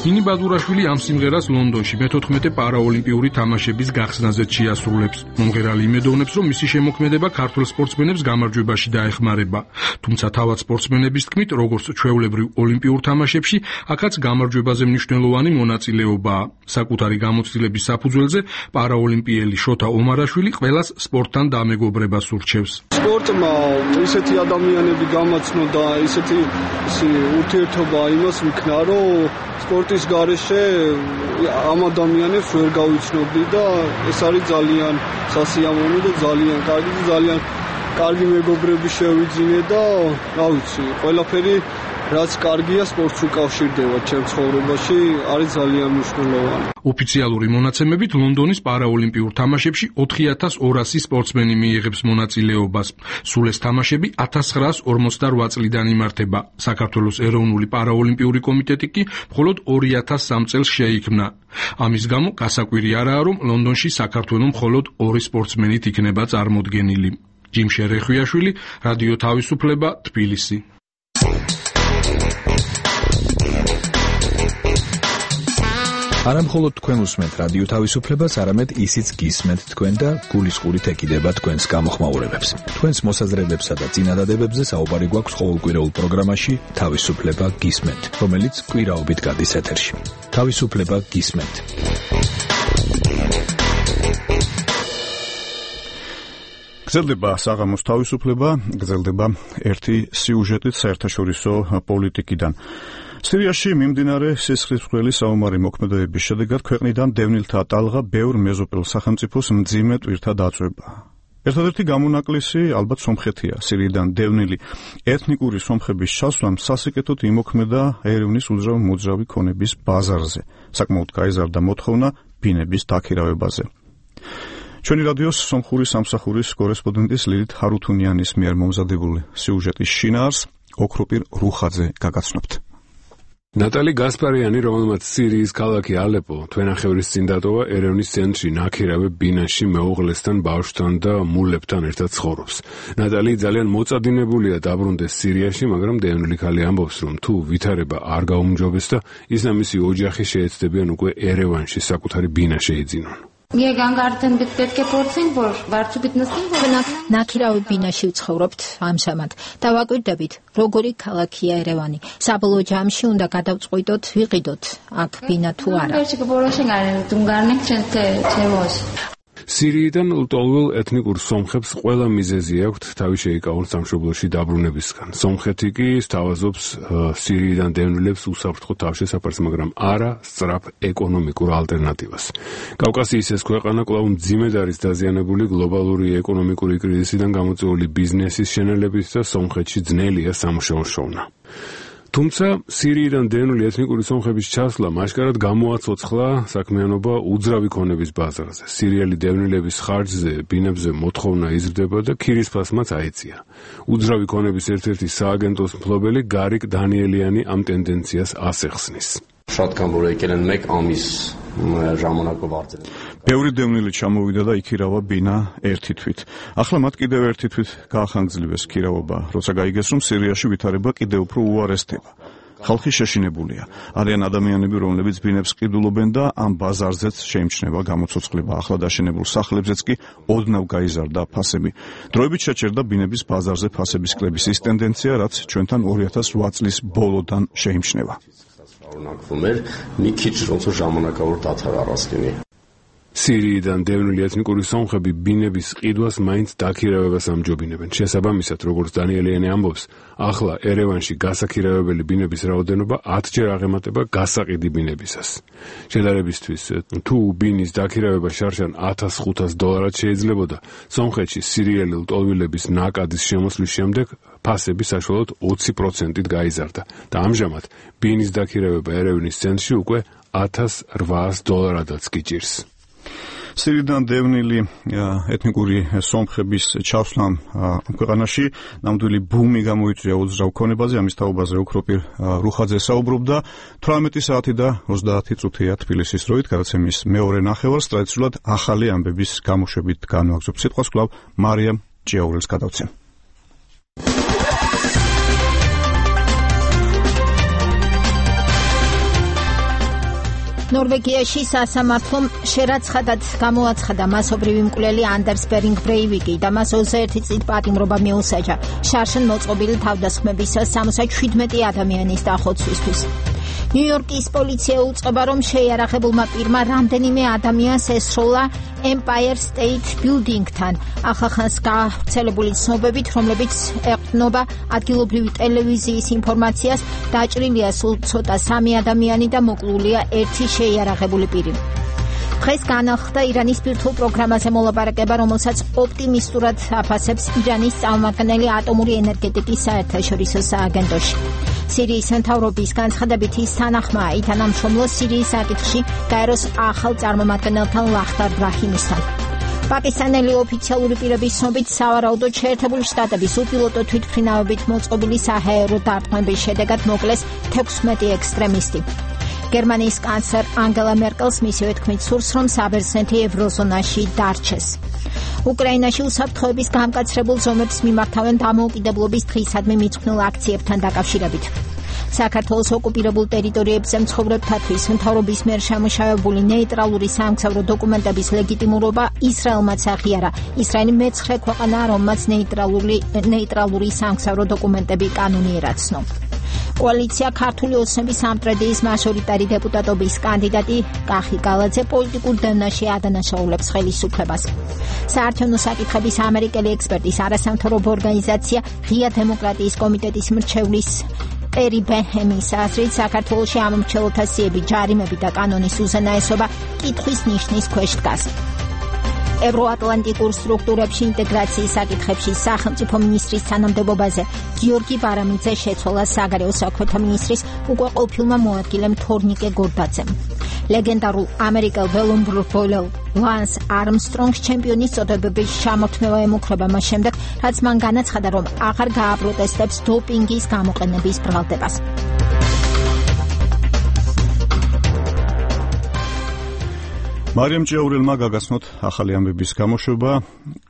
ნინი ბადურაშვილი ამ სიმღერას ლონდონში მე-14 პარაოლიმპიური თამაშების გახსნაზე შეასრულებს. მომღერალი იმედოვნებს, რომ მისი შემოქმედება ქართველ სპორტსმენებს გამარჯვებაში დაეხმარება. თუმცა თავად სპორტსმენების თქმით, როგორც ჩვეულებრივ ოლიმპიურ თამაშებში, აქაც გამარჯვებაზე მნიშვნელოვანი მონაწილეობაა. საკუთარი გამოცდილების საფუძველზე პარაოლიმპიელი შოთა ომარაშვილი ყველას სპორტთან დამეგობრებას ურჩევს. სპორტმა ისეთი ადამიანები გამაცნო და ისეთი ურთიერთობა იმას მიქნა, რომ სპორტის გარეშე ამ ადამიანებს ვერ გავიცნობდი და ეს არის ძალიან სასიამოვნო და ძალიან კარგი და ძალიან კარგი მეგობრები შევიძინე და რა ვიცი, ყველაფერი რაც კარგია სპორტს უკავშირდება ჩემ ცხოვრებაში, არის ძალიან მნიშვნელოვანი. ოფიციალური მონაცემებით ლონდონის პარაოლიმპიურ თამაშებში 4200 სპორტსმენი მიიღებს მონაწილეობას. სულ ეს თამაშები 1948 წლიდან იმართება. საქართველოს ეროვნული პარაოლიმპიური კომიტეტი კი მხოლოდ 2003 წელს შეიქმნა. ამის გამო გასაკვირი არაა, რომ ლონდონში საქართველოს მხოლოდ 2 სპორტსმენით იქნება წარმოდგენილი. ჯიმშე რეხვიაშვილი, რადიო თავისუფლება, თბილისი. არა მხოლოდ თქვენ უსმენთ რადიო თავისუფლებას, არამედ ისიც გისმენთ თქვენ და გულისყურით ეკიდება თქვენს გამოხმაურებებს. თქვენს მოსაზრებებსა და წინადადებებზე საუბარი გვაქვს ყოველკვირეულ პროგრამაში თავისუფლება გისმენთ, რომელიც კვირაობით გადის ეთერში. თავისუფლება გისმენთ. გრძელდება საღამოს თავისუფლება, გრძელდება ერთი სიუჟეტით საერთაშორისო პოლიტიკიდან. სირიაში მიმდინარე სისხლისმღვრელი საომარი მოქმედებების შედეგად ქვეყნიდან დევნილთა ტალღა ბევრ მეზობელ სახელმწიფოს მძიმე ტვირთად აწვება. ერთადერთი გამონაკლისი ალბათ სომხეთია. სირიიდან დევნილი ეთნიკური სომხების ჩასვლამ სასიკეთოდ იმოქმედა ერევნის უძრავ-მოძრავი ქონების ბაზარზე. საკმაოდ გაიზარდა მოთხოვნა ბინების დაქირავებაზე. ჩვენი რადიოს სომხური სამსახურის კორესპონდენტის ლილით ჰარუთუნიანის მიერ მომზადებული სიუჟეტის შინაარს ოქროპირ რუხაძე გაგაცნობთ. ნატალი გასპარიანი, რომელმაც სირიის ქალაქი ალეპო თვენახევრის წინ დატოვა, ერევნის ცენტრში ნაქირავე ბინაში მეუღლესთან, ბავშვთან და მულებთან ერთად ცხოვრობს. ნატალი ძალიან მოწადინებულია დაბრუნდეს სირიაში, მაგრამ დევნილი ქალი ამბობს, რომ თუ ვითარება არ გაუმჯობეს და ის და მისი ოჯახი შეეცდებიან უკვე ერევანში საკუთარი ბინა შეიძინონ. ნაქირავი ბინაში ვცხოვრობთ ამჟამად და ვაკვირდებით, როგორი ქალაქია ერევანი. საბოლოო ჯამში უნდა გადავწყვიტოთ, ვიყიდოთ აქ ბინა თუ არა. სირიიდან ლტოლვილ ეთნიკურ სომხებს ყველა მიზეზი აქვთ თავი შეიკავონ სამშობლოში დაბრუნებისგან. სომხეთი კი სთავაზობს სირიიდან დევნილებს უსაფრთხო თავშესაფარს, მაგრამ არა სწრაფ ეკონომიკურ ალტერნატივას. კავკასიის ეს ქვეყანა კვლავ მძიმედ არის დაზიანებული გლობალური ეკონომიკური კრიზისიდან გამოწვეული ბიზნესის შენელებით და სომხეთში ძნელია სამუშაო შოვნა. თუმცა სირიიდან დევნილი ეთნიკური სომხების ჩასვლა მასშტაბად გამოაცოცხლა საქმიანობა უძრავი ქონების ბაზარზე. სირიელი დევნილების ხარჯზე ბინებზე მოთხოვნა იზრდება და ქირისფასმაც აეწია. უძრავი ქონების ერთ-ერთი სააგენტოს მფლობელი გარიკ დანიელიანი ამ ტენდენციას ასეხსნის. Շատ կան որ եկել են 1 ամիս ժամանակով արձել. ბევრი დევნილი ჩამოვიდა და იქირავა ბინა ერთი თვით. ახლა მათ კიდევ ერთი თვით გაახანგძლივეს ქირავობა, როცა გაიგეს რომ სირიაში ვითარება კიდევ უფრო უარესდება. ხალხი შეშინებულია. არიან ადამიანები, რომლებიც ბინებს ყიდულობენ და ამ ბაზარზეც შეიმჩნევა გამოცოცხლება. ახლა დაშენებულ სახლებზეც კი ოდნავ გაიზარდა ფასები. დროებით შეჩერდა ბინების ბაზარზე ფასების კლების ის ტენდენცია, რაც ჩვენთან 2008 წლის ბოლოდან შეიმჩნევა. Օրինակվում էր մի քիչ ոնց որ ժամանակավոր դադար առած լինի. სირიიდან დევნილი ეთნიკური სომხები ბინების ყიდვას მაინც დაქირავებას ამჯობინებენ. შესაბამისად, როგორც დანიელიანი ამბობს, ახლა ერევანში გასაქირავებელი ბინების რაოდენობა 10-ჯერ აღემატება გასაყიდი ბინებისას. შედარებისთვის, თუ ბინის დაქირავება შარშან $1500 შეიძლებოდა, სომხეთში სირიელი ლტოლვილების ნაკადის შემოსვლის შემდეგ ფასები საშუალოდ 20%-ით გაიზარდა და ამჟამად ბინის დაქირავება ერევნის ცენტრში უკვე $1800-ადაც გიჭირს. სირიიდან დევნილი ეთნიკური სომხების ჩასვლამ ქვეყანაში ნამდვილი ბუმი გამოიწვია უძრავ ქონებაზე. ამის თაობაზე უქროპირ რუხაძე საუბრობდა 18 საათი და 30 წუთია თბილისის დროით. გადაცემის მეორე ნახევარს ტრადიციულად ახალი ამბების გამოშვებით განვაგრძობ. სიტყვას კვლავ მარიამ ჭიაურელს გადავცემ. ნორვეგიაში სასამართლომ შერაცხადად გამოაცხადა მასობრივი მკვლელი anders behring breiviki და მას 21 წლის პატიმრობა მიუსაჯა შარშან მოწყობილი თავდასხმების 77 ადამიანის დახოცვისთვის. ნიუ-იორკის პოლიცია უწყება, რომ შეიარაღებულმა პირმა რამდენიმე ადამიანს ესროლა Empire State Building-თან. ახახანს გავრცელებული ცნობებით, რომლებიც ეყრდნობა ადგილობრივი ტელევიზიის ინფორმაციას, დაჭრილია სულ ცოტა 3 ადამიანი და მოკლულია 1 შეიარაღებული პირი. დღეს განახლდა ირანის ბირთვულ პროგრამაზე მოლაპარაკება, რომელსაც ოპტიმისტურად აფასებს ირანის წარმომადგენელი ატომური ენერგეტიკის საერთაშორისო სააგენტოში. სირიის მთავრობის განცხადებით ის თანახმაა ითანამშრომლო სირიის საკითხში გაეროს ახალ წარმომადგენელთან ლახტარ ბრაჰიმისთან. პაკისტანელი ოფიციალური პირების ცნობით, სავარაუდოდ შეერთებული შტატების უპილოტო თვითმფრინავებით მოწყობილი საჰაერო დარტყმების შედეგად მოკლეს 16 ექსტრემისტი. გერმანიის კანცლერ ანგელა მერკელს მისივე თქმით სურს, რომ საბერძნეთი ევროზონაში დარჩეს. უკრაინაში უსაფრთხოების გამკაცრებულ ზომებს მიმართავენ დამოუკიდებლობის დღისადმი მიძღვნილ აქციებთან დაკავშირებით. საქართველოს ოკუპირებულ ტერიტორიებზე მცხოვრებთათვის მთავრობის მიერ შემუშავებული ნეიტრალური სამგზავრო დოკუმენტების ლეგიტიმურობა ისრაელმაც აღიარა. ისრაელი მეცხრე ქვეყანაა, რომელმაც ნეიტრალური სამგზავრო დოკუმენტები კანონიერაცნო. კოალიცია ქართული ოცნების სამტრედიის მაჟორიტარი დეპუტატობის კანდიდატი კახი გალაძე პოლიტიკურ დევნაში ადანაშაულებს ხელისუფლებას. საარჩევნო საკითხების ამერიკელი ექსპერტის არასამთავრობო ორგანიზაცია ღია დემოკრატიის კომიტეტის მრჩევლის პერი ბეჰემის აზრით, საქართველოში ამომრჩეველთა სიები, ჯარიმები და კანონის უზენაესობა კითხვის ნიშნის ქვეშ დგას. ევროატლანტიკურ სტრუქტურებში ინტეგრაციის საკითხებში სახელმწიფო მინისტრის თანამდებობაზე გიორგი ბარამიძე შეცვალა საგარეო საქმეთა მინისტრის უკვე ყოფილმა მოადგილემ თორნიკე გორდაძემ. ლეგენდარულ ამერიკელ ველომბროლელ ლანს არმსტრონგს ჩემპიონის წოდებების ჩამორთმევა ემუქრება მას შემდეგ, რაც მან განაცხადა, რომ აღარ გააპროტესტებს დოპინგის გამოყენების ბრალდებას. მარიამ ჭიაურელმა გაგაცნოთ ახალი ამბების გამოშვება.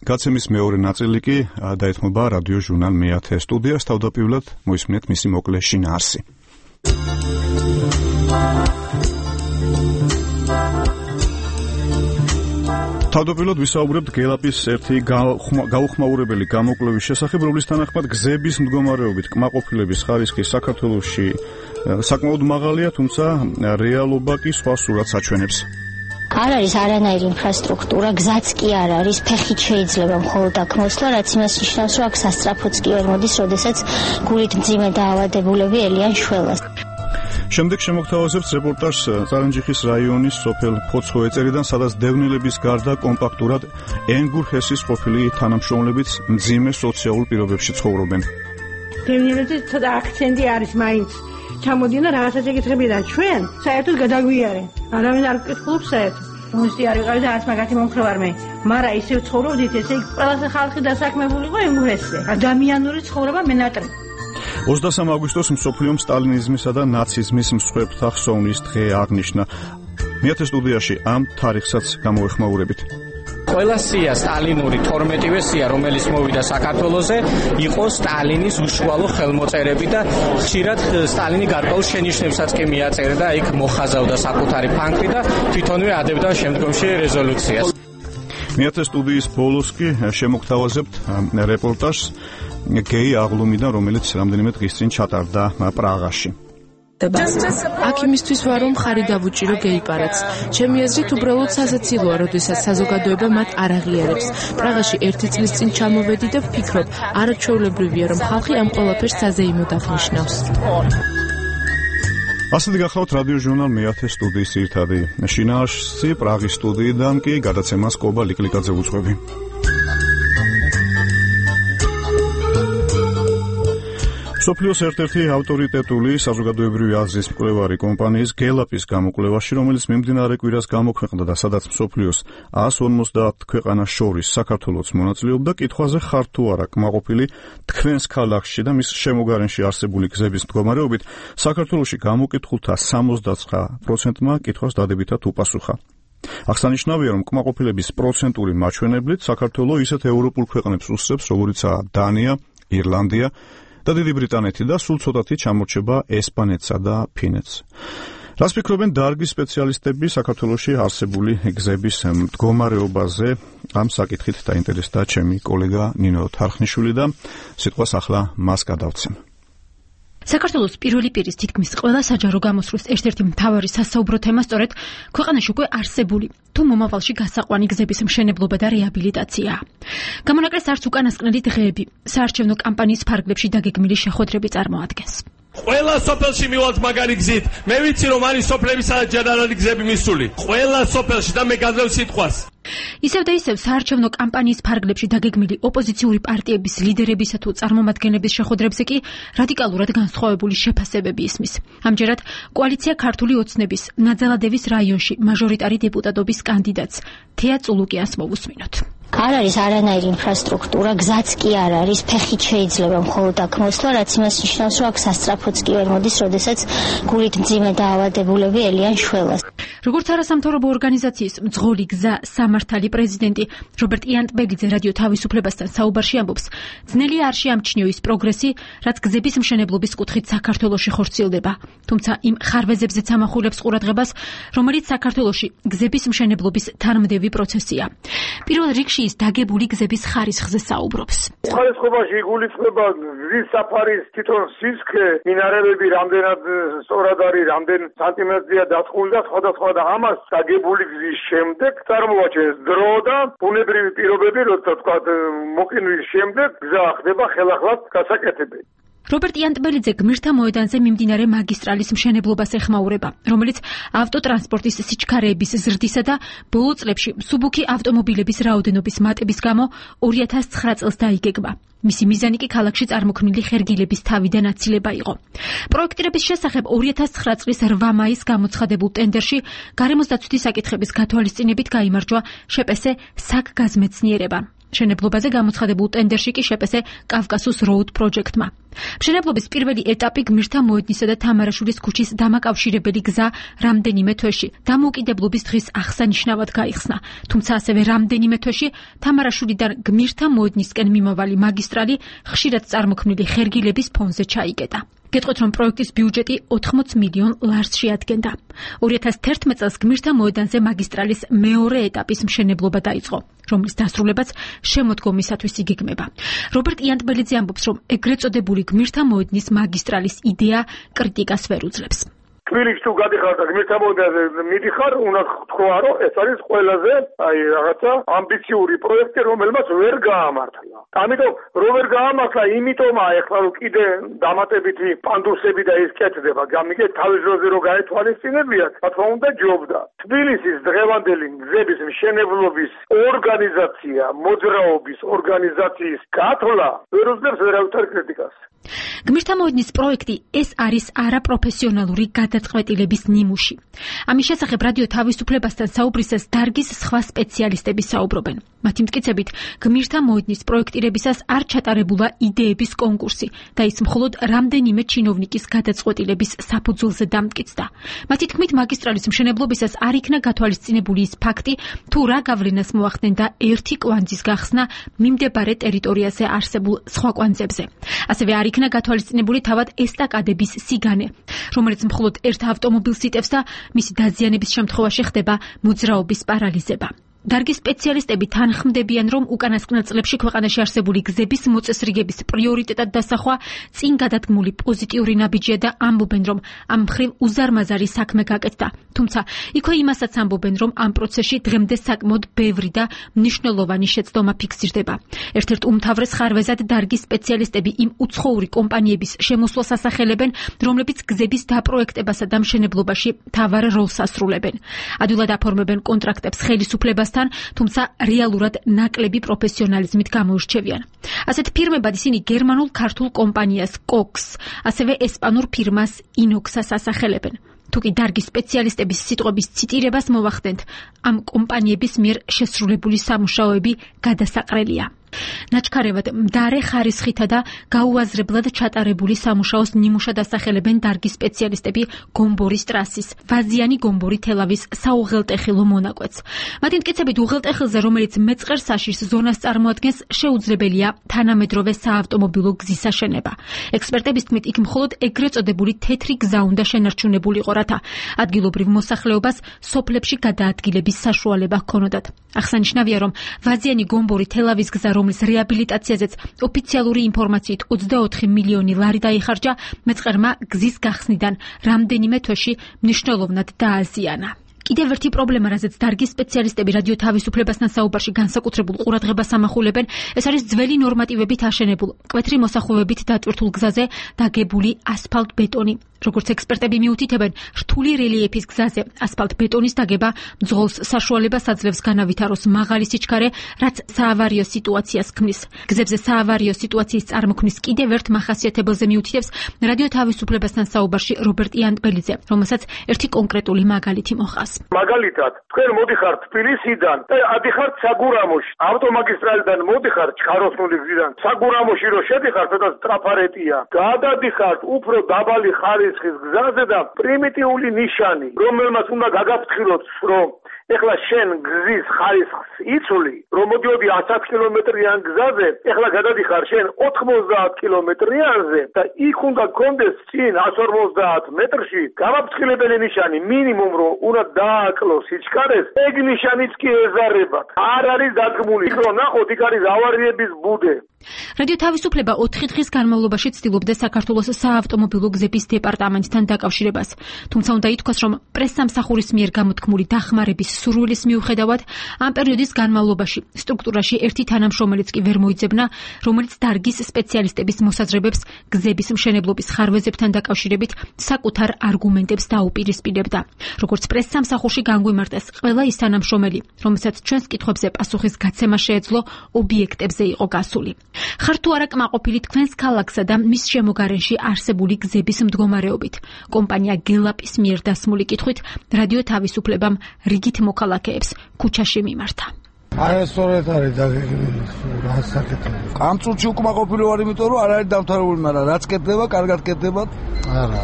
გაცემის მეორე ნაწილი კი დაეთმობა რადიო ჟურნალ მე-10 სტუდიას. თავდაპირველად მოისმინეთ მისი მოკლე შინაარსი. თავდაპირველად ვისაუბრებთ გელაპის ერთი გაუხმაურებელი გამოკვლევის შესახებ, რომლის თანახმად გზების მდგომარეობით კმაყოფილების ხარისხი საქართველოში საკმაოდ მაღალია, თუმცა რეალობა კი სხვა სურათს აჩვენებს. არ არის არანაირი ინფრასტრუქტურა, გზაც კი არ არის, ფეხით შეიძლება მხოლოდ აქ მოსვლა, რაც იმას ნიშნავს, რომ აქ სასწრაფოც კი ვერ მოდის, როდესაც გულით მძიმე დაავადებულები ელიან შველას. შემდეგ შემოგთავაზებთ რეპორტაჟს წარენჯიხის რაიონის სოფელ ფოცხოვეწერიდან, სადაც დევნილების გარდა კომპაქტურად ენგურ ჰესის ყოფილი თანამშრომლებიც მძიმე სოციალურ პირობებში ცხოვრობენ. გემნიელებზე ცოტა აქცენტი არის მაინც. ჩამოდიან და რაღაცას ეკითხებიან ჩვენ, საერთოდ გადაგვიარენ. არავინ არ გკითხულობს საერთოდ. მუსტი არ ვიყავი და არც მაგათი მომხრე ვარ მე. მაგრამ ისევ ცხოვრობდით, ესე იგი ყველა ხალხი დასაქმებულიყო ინგლისზე. ადამიანური ცხოვრება მენატრი. 23 აგვისტოს მსოფლიო სტალინიზმისა და ნაციზმის მსხვერპლთა ხსოვნის დღე აღნიშნა. მეათე სტუდიაში ამ თარიღსაც გამოეხმაურებით. ყველა სია სტალინური 12-ვე სია, რომელიც მოვიდა საქართველოზე, იყო სტალინის უშუალო ხელმოწერები და ხშირად სტალინი გარკვეულ შენიშვნებსაც კი მიაწერდა და იქ მოხაზავდა საკუთარი ფანქრი და თვითონვე ადებდა შემდგომში რეზოლუციას. მეათე სტუდიის ბოლოს კი შემოგთავაზებთ რეპორტაჟს გეი აღლუმიდან, რომელიც რამდენიმე დღის წინ ჩატარდა პრაღაში. აქ იმისთვის ვარ, რომ ხარი დავუჭირო გეიპარადს. ჩემი აზრით უბრალოდ სასაცილოა, როდესაც საზოგადოება მათ არ აღიარებს. პრაღაში 1 წლის წინ ჩამოვედი და ვფიქრობ, არაჩვეულებრივია, რომ ხალხი ამ ყველაფერს საზეიმოდ აღნიშნავს. ასეთი გახლავთ რადიო ჟურნალ მეათე სტუდიის ძირითადი შინაარსი. პრაღის სტუდიიდან კი გადაცემას კობა ლიკლიკაძე უძღვები. სოფლიოს ერთ-ერთი ავტორიტეტული საზოგადოებრივი აზრის მკვლევარი კომპანიის გელაპის გამოკვლევაში, რომელიც მიმდინარე კვირას გამოქვეყნდა და სადაც მსოფლიოს 150 ქვეყანას შორის საქართველოც მონაწილეობდა, კითხვაზე ხარ თუ არა კმაყოფილი თქვენს ქალაქში და მის შემოგარენში არსებული გზების მდგომარეობით, საქართველოში გამოკითხულთა 69%-მა კითხვას დადებითად უპასუხა. აღსანიშნავია, რომ კმაყოფილების პროცენტული მაჩვენებლით საქართველო ისეთ ევროპულ ქვეყნებს უსწრებს, როგორიცაა დანია, ირლანდია და დიდი ბრიტანეთი და სულ ცოტათი ჩამორჩება ესპანეთსა და ფინეთს. რას ფიქრობენ დარგის სპეციალისტები საქართველოში არსებული გზების მდგომარეობაზე? ამ საკითხით დაინტერესდა ჩემი კოლეგა ნინო თარხნიშვილი და სიტყვას ახლა მას გადავცემ. საქართველოს პირველი პირის თითქმის ყველა საჯარო გამოსვლის ერთ-ერთი მთავარი სასაუბრო თემა სწორედ ქვეყანაში უკვე არსებული თუ მომავალში გასაყვანი გზების მშენებლობა და რეაბილიტაციაა. გამონაკლეს არც უკანასკნელი დღეები საარჩევნო კამპანიის ფარგლებში დაგეგმილი შეხვედრები წარმოადგენს. ყველა სოფელში მივალთ მაგარი გზით. მე ვიცი რომ არის სოფლების ჯენერალური გზები მისული. ყველა სოფელში და მე გაძლევ სიტყვას. ისევ და ისევ საარჩევნო კამპანიის ფარგლებში დაგეგმილი ოპოზიციური პარტიების ლიდერებისა თუ წარმომადგენლების შეხვედრებზე კი რადიკალურად განსხვავებული შეფასებები ისმის. ამჯერად კოალიცია ქართული ოცნების ნაძალადევის რაიონში მაჟორიტარი დეპუტატობის კანდიდატს თეა წულუკიანს მოვუსმინოთ. არ არის არანაირი ინფრასტრუქტურა, გზაც კი არ არის, ფეხით შეიძლება მხოლოდ აქ მოსვლა, რაც იმას ნიშნავს, რომ აქ სასწრაფოც კი ვერ მოდის, როდესაც გულით მძიმე დაავადებულები ელიან შველას. როგორც არასამთავრობო ორგანიზაციის მძღოლი გზა სამართალი პრეზიდენტი რობერტ იანტბეგლიძე რადიო თავისუფლებასთან საუბარში ამბობს, ძნელია არ შეამჩნიო ის პროგრესი, რაც გზების მშენებლობის კუთხით საქართველოში ხორციელდება, თუმცა იმ ხარვეზებზეც ამახვილებს ყურადღებას, რომელიც საქართველოში გზების მშენებლობის თანმდევი პროცესია. პირველ რიგში ის დაგებული გზების ხარისხზე საუბრობს. ხარისხობაში იგულისხმება გზის საფარის თვითონ სისქე, მინარევები რამდენად სწორად არის, რამდენ სანტიმეტრია დაწყული და სხვადასხვა და ამას დაგებული გზის შემდეგ წარმოაჩენს დრო და ბუნებრივი პირობები, როცა თქვა მოკინვის შემდეგ გზა ხდება ხელახლად გასაკეთებელი. რობერტ იანტბელიძე გმირთა მოედანზე მიმდინარე მაგისტრალის მშენებლობას ეხმაურება, რომელიც ავტოტრანსპორტის სიჩქარეების ზრდისა და ბოლო წლებში მსუბუქი ავტომობილების რაოდენობის მატების გამო 2009 წელს დაიგეგმა. მისი მიზანი კი ქალაქში წარმოქმნილი ხერგილების თავიდან აცილება იყო. პროექტირების შესახებ 2009 წლის 8 მაისს გამოცხადებულ ტენდერში გარემოს დაცვითი საკითხების გათვალისწინებით გაიმარჯვა შეპესე საკგაზმეცნიერება. მშენებლობაზე გამოცხადებულ ტენდერში კი შეპესე კავკასუს როუდ პროჯექტმა. მშენებლობის პირველი ეტაპი გმირთა მოედნისა და თამარაშვილის ქუჩის დამაკავშირებელი გზა რამდენიმე თვეში დამოუკიდებლობის დღის აღსანიშნავად გაიხსნა, თუმცა ასევე რამდენიმე თვეში თამარაშვილიდან გმირთა მოედნისკენ მიმავალი მაგისტრალი ხშირად წარმოქმნილი ხერგილების ფონზე ჩაიკეტა. გეტყვით, რომ პროექტის ბიუჯეტი 80 მილიონ ლარს შეადგენდა. 2011 წელს გმირთა მოედანზე მაგისტრალის მეორე ეტაპის მშენებლობა დაიწყო, რომლის დასრულებაც შემოდგომისათვის იგეგმება. რობერტ იანტბელიძე ამბობს, რომ ეგრეთ წოდებული გმირთა მოედნის მაგისტრალის იდეა კრიტიკას ვერ უძლებს. თბილისში თუ გადიხარ და გმირთა მოედანზე მიდიხარ, უნდა თქვა, რომ ეს არის ყველაზე რაღაცა ამბიციური პროექტი, რომელმაც ვერ გაამართლა. ამიტომ რომ ვერ გაამართლა, იმიტომაა ეხლა რომ კიდე დამატებითი პანდუსები და ის კეთდება. გამიგეთ თავის დროზე რომ გაეთვალისწინებიათ, რა თქმა უნდა ჯობდა. თბილისის დღევანდელი გზების მშენებლობის ორგანიზაცია, მოძრაობის ორგანიზაციის გათვლა ვერ უძლებს ვერავითარ კრიტიკას. გმირთა მოედნის პროექტი ეს არის არაპროფესიონალური გადაწყვეტილების ნიმუში. ამის შესახებ რადიო თავისუფლებასთან საუბრისას დარგის სხვა სპეციალისტები საუბრობენ. მათი მტკიცებით, გმირთა მოედნის პროექტირებისას არ ჩატარებულა იდეების კონკურსი და ის მხოლოდ რამდენიმე ჩინოვნიკის გადაწყვეტილების საფუძველზე დამტკიცდა. მათი თქმით, მაგისტრალის მშენებლობისას არ იქნა გათვალისწინებული ის ფაქტი, თუ რა გავლენას მოახდენდა და ერთი კვანძის გახსნა მიმდებარე ტერიტორიაზე არსებულ სხვა კვანძებზე. ასევე არ იქნა გათვალისწინებული თავად ესტაკადების სიგანე, რომელიც მხოლოდ ერთ ავტომობილს იტევს და მისი დაზიანების შემთხვევაში ხდება მოძრაობის პარალიზება. დარგის სპეციალისტები თანხმდებიან, რომ უკანასკნელ წლებში ქვეყანაში არსებული გზების მოწესრიგების პრიორიტეტად დასახვა წინ გადადგმული პოზიტიური ნაბიჯია და ამბობენ, რომ ამ მხრივ უზარმაზარი საქმე გაკეთდა. თუმცა იქვე იმასაც ამბობენ, რომ ამ პროცესში დღემდე საკმაოდ ბევრი და მნიშვნელოვანი შეცდომა ფიქსირდება. ერთ-ერთ უმთავრეს ხარვეზად დარგის სპეციალისტები იმ უცხოური კომპანიების შემოსვლას ასახელებენ, რომლებიც გზების დაპროექტებასა და მშენებლობაში მთავარ როლს ასრულებენ. ადვილად აფორმებენ კონტრაქტებს ხელისუფლებას, თუმცა რეალურად ნაკლები პროფესიონალიზმით გამოირჩევიან. ასეთ ფირმებად ისინი გერმანულ ქართულ კომპანიას კოქს, ასევე ესპანურ ფირმას ინოქსას ასახელებენ. თუკი დარგის სპეციალისტების სიტყვების ციტირებას მოვახდენთ, ამ კომპანიების მიერ შესრულებული სამუშაოები გადასაყრელია. ნაჩქარევად მდარე ხარისხითა და გაუაზრებლად ჩატარებული სამუშაოს ნიმუშად ასახელებენ დარგის სპეციალისტები გომბორის ტრასის, ვაზიანი გომბორი თელავის საუღელტეხილო მონაკვეთს. მათი მტკიცებით, უღელტეხილზე, რომელიც მეწყერ საშიშს ზონას წარმოადგენს, შეუძლებელია თანამედროვე საავტომობილო გზის აშენება. ექსპერტების თქმით, იქ მხოლოდ ეგრეთ წოდებული თეთრი გზა უნდა შენარჩუნებულიყო, რათა ადგილობრივ მოსახლეობას სოფლებში გადაადგილების საშუალება ჰქონოდათ. აღსანიშნავია, რომ ვაზიანი გომბორი თელავის გზა, რომლის რეაბილიტაციაზეც ოფიციალური ინფორმაციით 24 მილიონი ლარი დაიხარჯა, მეწყერმა გზის გახსნიდან რამდენიმე თვეში მნიშვნელოვნად დააზიანა. კიდევ ერთი პრობლემა, რაზეც დარგის სპეციალისტები რადიო თავისუფლებასთან საუბარში განსაკუთრებულ ყურადღებას ამახვილებენ, ეს არის ძველი ნორმატივებით აშენებულ, მკვეთრი მოსახვევებით დატვირთულ გზაზე დაგებული ასფალტ-ბეტონი. როგორც ექსპერტები მიუთითებენ, რთული რელიეფის გზაზე ასფალტ-ბეტონის დაგება მძღოლს საშუალებას აძლევს განავითაროს მაღალი სიჩქარე, რაც საავარიო სიტუაციას ქმნის. გზებზე საავარიო სიტუაციის წარმოქმნის კიდევ ერთ მახასიათებელზე მიუთითებს რადიო თავისუფლებასთან საუბარში რობერტ იანტბელიძე, რომელსაც ერთი კონკრეტული მაგალითი მოჰყავს. მაგალითად, თქვენ მოდიხართ თბილისიდან და ადიხართ საგურამოში. ავტომაგისტრალიდან მოდიხართ ჩხაროსნული გზიდან. საგურამოში რო შედიხართ, სადაც ტრაფარეტია, გადადიხართ უფრო დაბალი ხარისხის გზაზე და პრიმიტიული ნიშანი, რომელმაც უნდა გაგაფრთხილოთ, რომ ეხლა შენ გზის ხარისხს იცვლი, რომ მოდიოდი 100 კილომეტრიან გზაზე, ეხლა გადადიხარ შენ 90 კილომეტრიანზე და იქ უნდა გქონდეს წინ 150 მეტრში გამაფრთხილებელი ნიშანი, მინიმუმ რომ უნდა დააკლოს სიჩქარეს, ეგ ნიშანიც კი ეზარებათ. არ არის დადგმული, იქ რომ ნახოთ, იქ არის ავარიების ბუდე. რადიო თავისუფლება 4 დღის განმავლობაში ცდილობდა საქართველოს საავტომობილო გზების დეპარტამენტთან დაკავშირებას. თუმცა უნდა ითქვას, რომ პრესსამსახურის მიერ გამოთქმული დახმარების სურვილის მიუხედავად, ამ პერიოდის განმავლობაში სტრუქტურაში ერთი თანამშრომელიც კი ვერ მოიძებნა, რომელიც დარგის სპეციალისტების მოსაზრებებს გზების მშენებლობის ხარვეზებთან დაკავშირებით საკუთარ არგუმენტებს დაუპირისპირებდა. როგორც პრესსამსახურში განგვიმარტეს, ყველა ის თანამშრომელი, რომელსაც ჩვენს კითხვებზე პასუხის გაცემა შეეძლო, ობიექტებზე იყო გასული. ხარ თუ არა კმაყოფილი თქვენს ქალაქსა და მის შემოგარენში არსებული გზების მდგომარეობით? კომპანია გელაპის მიერ დასმული კითხვით რადიო თავისუფლებამ რიგით მოქალაქეებს ქუჩაში მიმართა. აი სწორედ არის და გასაკეთებელი. კამწურჩი უკმაყოფილი ვარ, იმიტომ რომ არ არის დამთავრებული, მაგრამ რაც კეთდება, კარგად კეთდება. არა.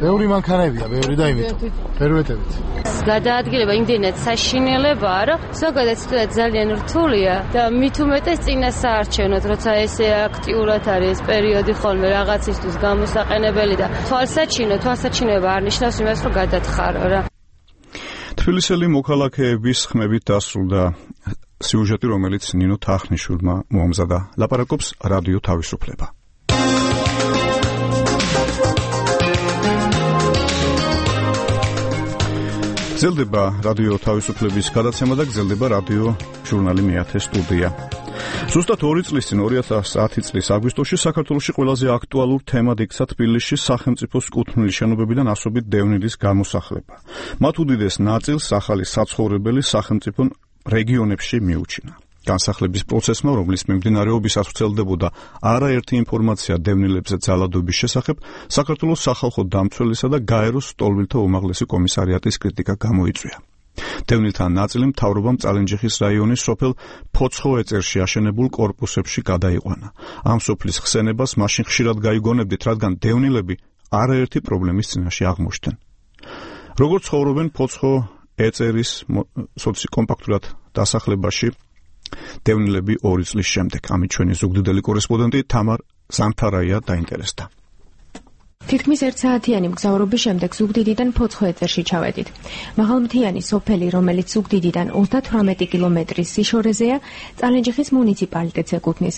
ბევრი მანქანებია, ბევრი და იმიტომ ფერვეტებით. გადაადგილება იმდენად საშინელებაა, რომ ზოგადად ძალიან რთულია და მით უმეტეს წინასაარჩევნოდ, როცა ესე აქტიურად არის პერიოდი ხოლმე რაღაცისთვის გამოსაყენებელი და თვალსაჩინოება არ ნიშნავს იმას, რომ გადათხარო რა. თბილისელი მოქალაქეების ხმებით დასრულდა სიუჟეტი, რომელიც ნინო თახნიშვილმა მოამზადა. ლაპარაკობს რადიო თავისუფლება. გრძელდება რადიო თავისუფლების გადაცემა და გრძელდება რადიო ჟურნალი მეათე სტუდია. ზუსტად 2 წლის წინ 2010 წლის აგვისტოში საქართველოში ყველაზე აქტუალურ თემად იქცა თბილისში სახელმწიფოს კუთვნილი შენობებიდან ასობით დევნილის გამოსახლება. მათ უდიდეს ნაწილს ახალი საცხოვრებელი სახელმწიფო რეგიონებში მიუჩინა. განსახლების პროცესმა, რომლის მიმდინარეობისას ვრცელდებოდა არაერთი ინფორმაცია დევნილებზე ძალადობის შესახებ, საქართველოს სახალხო დამცველისა და გაეროს სტოლვილთა უმაღლესი კომისარიატის კრიტიკა გამოიწვია. დევნილთა ნაწილი მთავრობამ წალენჯიხის რაიონის სოფელ ფოცხოეწერში აშენებულ კორპუსებში გადაიყვანა. ამ სოფლის ხსენებას მაშინ ხშირად გაიგონებდით, რადგან დევნილები არაერთი პრობლემის წინაშე აღმოჩნდნენ. როგორც ცხოვრობენ ფოცხოეწერის სოციოკომპაქტურად დასახლებაში დევნილები 2 წლის შემდეგ? ამით ჩვენი ზუგდიდელი კორესპონდენტი თამარ ზანთარაია დაინტერესდა. თითქმის 1 საათიანი მგზავრობის შემდეგ ზუგდიდიდან ფოცხოეწერში ჩავედით. მაღალმთიანი სოფელი, რომელიც ზუგდიდიდან 38 კილომეტრის სიშორეზეა, წალენჯიხის მუნიციპალიტეტს ეკუთვნის.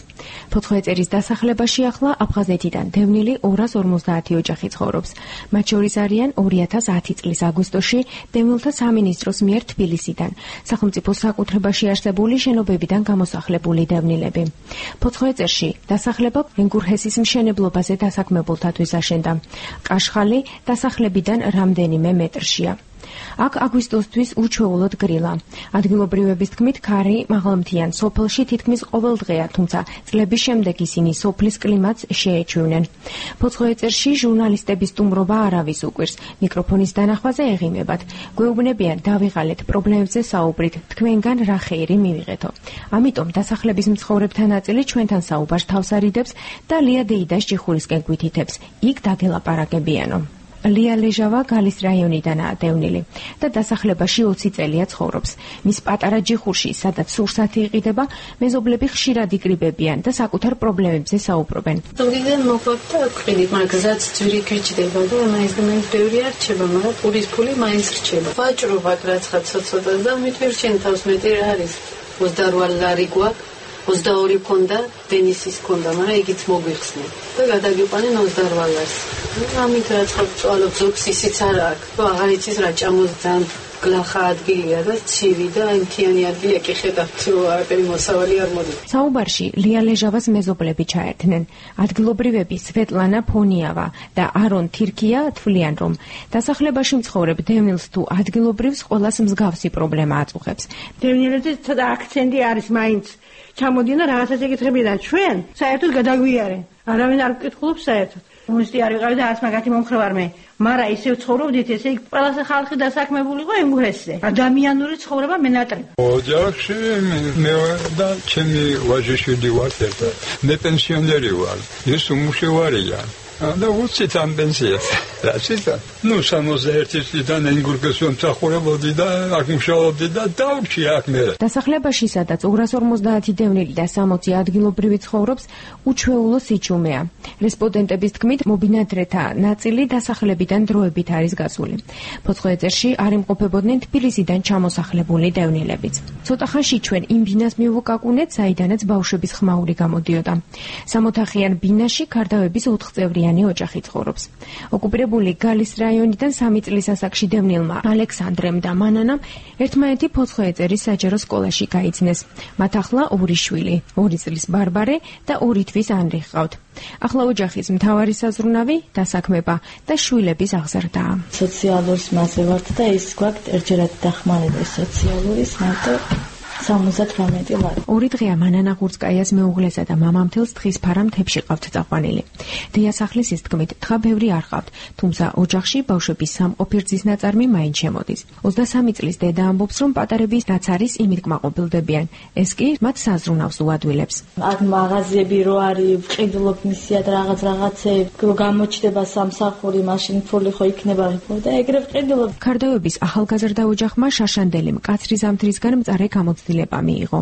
ფოცხოეწერის დასახლებაში ახლა აფხაზეთიდან დევნილი 250 ოჯახი ცხოვრობს. მათ შორის არიან 2010 წლის აგვისტოში დევნილთა სამინისტროს მიერ თბილისიდან, სახელმწიფოს საკუთრებაში არსებული შენობებიდან გამოსახლებული დევნილები. ფოცხოეწერში დასახლება ენგურჰესის მშენებლობაზე დასაქმებულთათვის აშენდა. კაშხალი დასახლებიდან რამდენიმე მეტრშია. აქ აგვისტოსთვის უჩვეულოდ გრილა. ადგილობრივების თქმით, ქარი მაღალმთიან სოფელში თითქმის ყოველდღეა, თუმცა წლების შემდეგ ისინი სოფლის კლიმატს შეეჩვევნენ. ფოცხოეწერში ჟურნალისტების სტუმრობა არავის უყვირს. მიკროფონის დანახვაზე ეღიმებათ. გვეუბნებიან, დავიღალეთ პრობლემებზე საუბრით, თქვენგან რა ხეირი მივიღეთო. ამიტომ დასახლების მცხოვრებთა ნაწილი ჩვენთან საუბარს თავს არიდებს და ლია დეიდას ჭიხურისკენ გვითითებს. იქ დაგელაპარაკებიანო. ლია ლეჟავა გალის რაიონიდანაა დევნილი და დასახლებაში 20 წელია ცხოვრობს. მის პატარა ჯიხურში, სადაც სურსათი იყიდება, მეზობლები ხშირად იკრიბებიან და საკუთარ პრობლემებზე საუბრობენ. ზოგადად მოყვება და ვყიდით, მაგრამ გზაც ძვირი ქეჭდება და მაინც ბევრი არ რჩება, მაგრამ პურის ფული მაინც რჩება. ვაჭრობად რაცხაც ცოტა და მithვირჩენ თავს მეტი რა არის. 28 ლარი გვაქვს. 22 ქონდა, დენისის ქონდა, მაგრამ იგიც მოგვიხსნე და გადაგიყვანენ 28 ლარს. ამით რაცხაც წვალობ ზოგს ისიც არ აქვს. აღარ იცის რა ჭამოს ძალიან გლახა ადგილია და ცივი და მთიანი ადგილი ეკიხედავთ, არაფერი მოსავალი არ მოდის. საუბარში ლია ლეჟავას მეზობლები ჩაერთნენ. ადგილობრივები სვეტლანა ფონიავა და არონ თირკია თვლიან, რომ დასახლებაში მცხოვრებ დევნილს თუ ადგილობრივს ყველას მსგავსი პრობლემა აწუხებს. დევნილებზე ცოტა აქცენტი არის მაინც. ჩამოდიან და რაღაცას ეკითხებიან, ჩვენ საერთოდ გადაგვიარენ. არავინ არ გკითხულობს საერთოდ. უნივერსიტეტი არ ვიყავი და არც მაგათი მომხრევარ მე. მაგრამ ისევ ცხოვრობდით, ესე იგი ყველა ხალხი დასაქმებული იყო ენგურჰესზე. ადამიანური ცხოვრება მენატრება. ოჯახში მე და ჩემი ვაჟიშვილი ვართ ერთად. მე პენსიონერი ვარ. ის უმუშევარია. და უცით ამ პენსიას. რაცისა? 61 წლიდან ენგურჰესში მსახურობდი და აქ მუშაობდი და დავრჩი აქ მე. დასახლებაში, სადაც 250 დევნილი და 60 ადგილობრივი ცხოვრობს, უჩვეულო სიჩუმეა. რესპონდენტების თქმით, მობინადრეთა ნაწილი დასახლებიდან დროებით არის გასული. ფოცხოეწერში არ იმყოფებოდნენ თბილისიდან ჩამოსახლებული დევნილებიც. ცოტა ხანში ჩვენ იმ ბინას მივუკაკუნეთ, საიდანაც ბავშვების ხმაური გამოდიოდა. 60-ხიან ბინაში ქარდავების 4 წევრიანი ოჯახი ცხოვრობს. ოკუპირებული გალის რაიონიდან 3 წლის ასაკში დევნილმა ალექსანდრემ და მანანამ ერთმანეთი ფოცხოეწერის საჯარო სკოლაში გაიცნეს. მათ ახლა 2 შვილი, 2 წლის ბარბარე და 2 თვის ანრი ჰყავთ. ახლა ოჯახის მთავარი საზრუნავი დასაქმება და შვილების აღზრდაა. სოციალურის მასე ვართ და ის გვაქვს ერთჯერად დახმარება სოციალურის მარტო 78 ლარი. 2 დღეა მანანა ღურცკაიას მეუღლესა და მამამთელს თხის ფარა მთებში ყავთ წაყვანილი. დიასახლისის თქმით, თხა ბევრი არ ყავთ, თუმცა ოჯახში ბავშვების სამყოფი რძის ნაწარმი მაინც შემოდის. 23 წლის დედა ამბობს, რომ პატარების რაც არის, იმით კმაყოფილდებიან. ეს კი მათ საზრუნავს უადვილებს. აქ მაღაზიები რო არის, ვყიდულობ მისიად რაღაცეები, რო გამოჩდება სამსახური, მაშინ ფული ხო იქნება და ეგრე ვყიდულობ. ქარდავების ახალგაზრდა ოჯახმა შაშანდელი მკაცრი ზამთრისგან მწარე გამოცდილება განხორციელება მიიღო.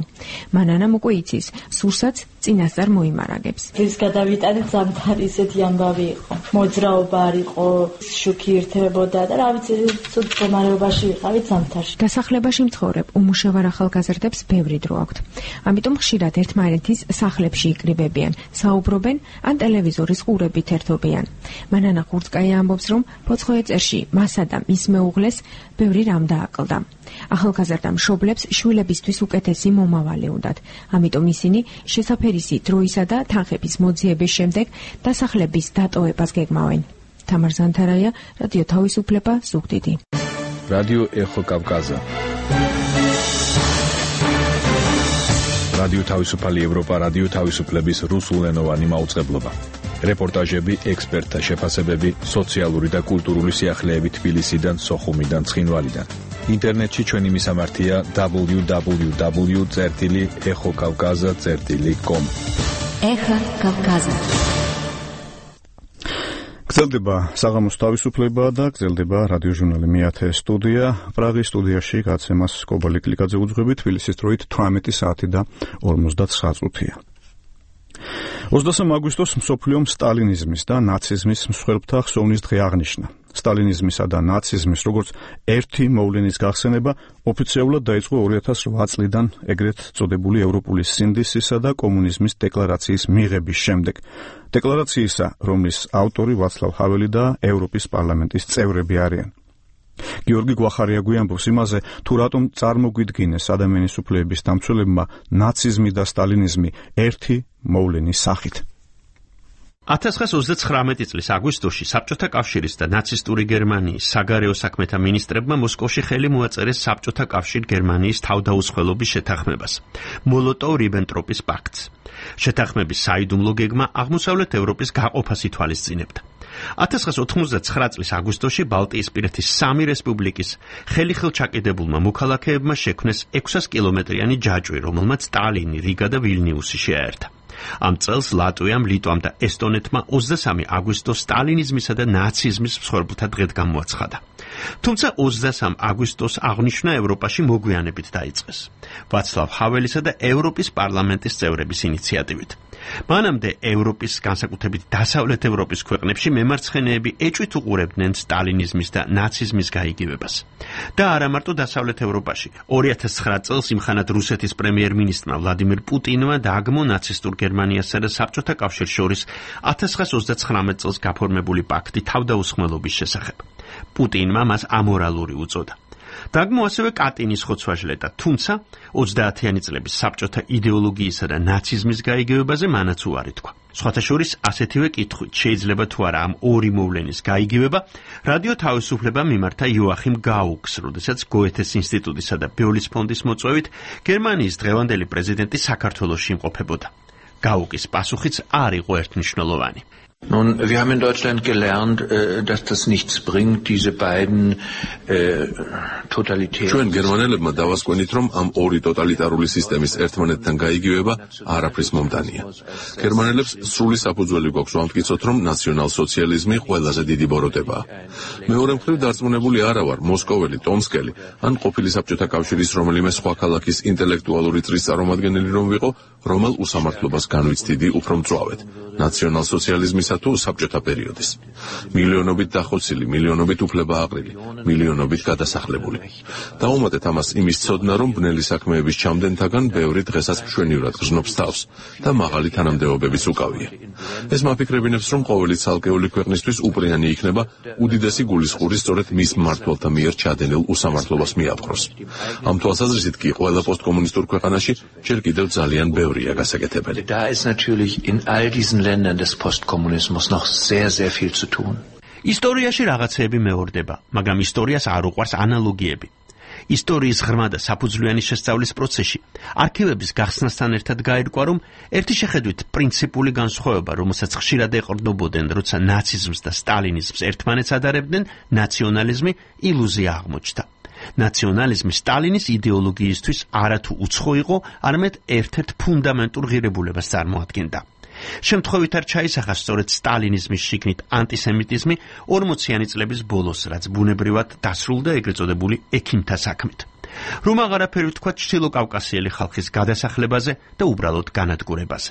მანანამ უკვე იცის, სურსაც წინასწარ მოიმარაგებს. რის გადავიტანეთ ზამთარი ისეთი ამბავი იყო. მოძრაობა არ იყო, შუქი ირთებოდა და რა ვიცი, ცუდ მდგომარეობაში ვიყავით ზამთარში. დასახლებაში მცხოვრებ უმუშევარ ახალგაზრდებს ბევრი დრო აქვთ. ამიტომ ხშირად ერთმანეთის სახლებში იკრიბებიან, საუბრობენ ან ტელევიზორის ყურებით ერთობიან. მანანა ხურცკაია ამბობს, რომ ფოცხოეწერში მასა და მის მეუღლეს ბევრი რამ დააკლდა. ახალგაზრდა მშობლებს შვილებისთვის უკეთესი მომავალი უნდათ. ამიტომ ისინი შესაფერისი დროისა და თანხების მოძიების შემდეგ დასახლების დატოვებას გეგმავენ. თამარ ზანთარაია, რადიო თავისუფლება, ზუგდიდი. რადიო ეხო კავკაზა. რადიო თავისუფალი ევროპა, რადიო თავისუფლების რუსულენოვანი მაუწყებლობა. რეპორტაჟები, ექსპერტთა შეფასებები, სოციალური და კულტურული სიახლეები თბილისიდან, სოხუმიდან, ცხინვალიდან. ინტერნეტში ჩვენი მისამართია www.exokavkaza.com. ეხა კავკაზა. გრძელდება საღამოს თავისუფლება და გრძელდება რადიოჟურნალი მეათე სტუდია. პრაღის სტუდიაში გაცემას კობალი კლიკაძე უძღვებით, თბილისის დროით 18 საათი და 59 წუთია. 23 აგვისტოს მსოფლიომ სტალინიზმის და ნაციზმის მსხვერპლთა ხსოვნის დღე აღნიშნა. სტალინიზმისა და ნაციზმის როგორც ერთი მოვლენის გახსენება ოფიციალურად დაიწყო 2008 წლიდან ეგრეთ წოდებული ევროპული სინდისისა და კომუნიზმის დეკლარაციის მიღების შემდეგ. დეკლარაციისა, რომლის ავტორი ვაცლავ ჰაველი და ევროპის პარლამენტის წევრები არიან. გიორგი გვახარია გვიამბობს იმაზე, თუ რატომ წარმოგვიდგინეს ადამიანის უფლებების დამცველებმა ნაციზმი და სტალინიზმი ერთი მოვლენის სახით. 1939 წლის აგვისტოში საბჭოთა კავშირის და ნაცისტური გერმანიის საგარეო საქმეთა მინისტრებმა მოსკოვში ხელი მოაწერეს საბჭოთა კავშირ გერმანიის თავდაუცხელობის შეთანხმებას, მოლოტოვ-რიბენტროპის პაქტს. შეთანხმების საიდუმლო გეგმა აღმოსავლეთ ევროპის გაყოფას ითვალისწინებდა. 1989 წლის აგვისტოში ბალტიისპირეთის 3 რესპუბლიკის ხელჩაკიდებულმა მოქალაქეებმა შექმნეს 600 კილომეტრიანი ჯაჭვი, რომელმაც ტალინი, რიგა და ვილნიუსი შეაერთა. ამ წელს ლატვიამ, ლიტვამ და ესტონეთმა 23 აგვისტოს სტალინიზმისა და ნაციზმის მსხვერპლთა დღედ გამოაცხადა. თუმცა 23 აგვისტოს აღნიშვნა ევროპაში მოგვიანებით დაიწყეს. ვაცლავ ჰაველისა და ევროპის პარლამენტის წევრების ინიციატივით. მანამდე ევროპის, განსაკუთრებით დასავლეთ ევროპის ქვეყნებში მემარცხენეები ეჭვით უყურებდნენ სტალინიზმის და ნაციზმის გაიგივებას. და არა მარტო დასავლეთ ევროპაში. 2009 წელს იმხანად რუსეთის პრემიერ-მინისტრმა ვლადიმირ პუტინმა დააგმო ნაცისტურ გერმანიასა და საბჭოთა კავშირს შორის 1939 წელს გაფორმებული პაქტი თავდაუსხმელობის შესახებ. პუტინმა მას ამორალური უწოდა. დაგმო ასევე კატინის ხოცვა-ჟლეტა, თუმცა 30-იანი წლების საბჭოთა იდეოლოგიისა და ნაციზმის გაიგივებაზე მანაც უარი თქვა. სხვათა შორის ასეთივე კითხვით შეიძლება თუ არა ამ ორი მოვლენის გაიგივება, რადიო თავისუფლება მიმართა იოახიმ გაუკს, როდესაც გოეთეს ინსტიტუტისა და ბიოლის ფონდის მოწვევით გერმანიის დღევანდელი პრეზიდენტი საქართველოში იმყოფებოდა. გაუკის პასუხიც არ იყო ერთმნიშვნელოვანი. Nun, wir haben in Deutschland gelernt, dass das nichts bringt, diese beiden totalitären. ჩვენ გერმანელებმა დავასკვენით, რომ ამ ორი ტოტალიტარული სისტემის ერთმანეთთან გაიგივება არაფრის მომდანია. გერმანელებს სრული საფუძველი გვაქვს ვამტკიცოთ, რომ ნაციონალ-სოციალიზმი ყველაზე დიდი ბოროტებაა. მეორე მხრივ დარწმუნებული არა ვარ, მოსკოველი, ტომსკელი, ან ყოფილი საბჭოთა კავშირის რომელიმე სხვა ქალაქის ინტელექტუალური წრის წარმომადგენელი რომ ვიყო, რომელ უსამართლობას განვიცდიდი უფრო მწვავედ. ნაციონალ-სოციალიზმისა თუ საბჭოთა პერიოდის. მილიონობით დახოცილი, მილიონობით უფლება აყრილი, მილიონობით გადასახლებული. დაუმატეთ ამას იმის ცოდნა, რომ ბნელი საქმეების ჩამდენთაგან ბევრი დღესაც მშვენივრად გრძნობს თავს და მაღალი თანამდებობებიც უკავია. ეს მაფიქრებინებს, რომ ყოველი ცალკეული ქვეყნისთვის უპრიანი იქნება უდიდესი გულისხმური სწორედ მის მმართველთა მიერ ჩადენილ უსამართლობას მიაპყროს. ამ თვალსაზრისით კი ყველა პოსტკომუნისტურ ქვეყანაში ჯერ კიდევ ძალიან ბევრია გასაკეთებელი. Da ist natürlich in all diesen Ländern des Postkommunismus noch sehr, sehr viel zu tun. ისტორიაში რაღაცეები მეორდება, მაგრამ ისტორიას არ უყვარს ანალოგიები. ისტორიის ღრმა და საფუძვლიანი შესწავლის პროცესში არქივების გახსნასთან ერთად გაირკვა, რომ ერთი შეხედვით პრინციპული განსხვავება, რომელსაც ხშირად ეყრდნობოდნენ, როცა ნაციზმს და სტალინიზმს ერთმანეთს ადარებდნენ, ნაციონალიზმი ილუზია აღმოჩნდა. ნაციონალიზმი სტალინის იდეოლოგიისთვის არათუ უცხო იყო, არამედ ერთ-ერთ ფუნდამენტურ ღირებულებას წარმოადგენდა. შემთხვევით არ ჩაისახა სწორედ სტალინიზმის შიგნით ანტისემიტიზმი 40-იანი წლების ბოლოს, რაც ბუნებრივად დასრულდა ეგრეთ წოდებული ექიმთა საქმით. რომ აღარაფერი ვთქვა ჩრდილოკავკასიელი ხალხის გადასახლებაზე და უბრალოდ განადგურებაზე.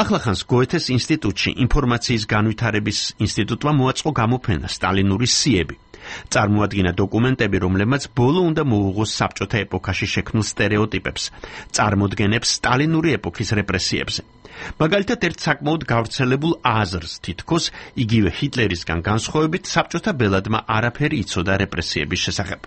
ახლახანს გოეთეს ინსტიტუტში ინფორმაციის განვითარების ინსტიტუტმა მოაწყო გამოფენა სტალინური სიები. წარმოადგინა დოკუმენტები, რომლებმაც ბოლო უნდა მოუღოს საბჭოთა ეპოქაში შექმნილ სტერეოტიპებს, წარმოდგენებს სტალინური ეპოქის რეპრესიებზე. მაგალითად, ერთ საკმაოდ გავრცელებულ აზრს, თითქოს იგივე ჰიტლერისგან განსხვავებით, საბჭოთა ბელადმა არაფერი იცოდა რეპრესიების შესახებ.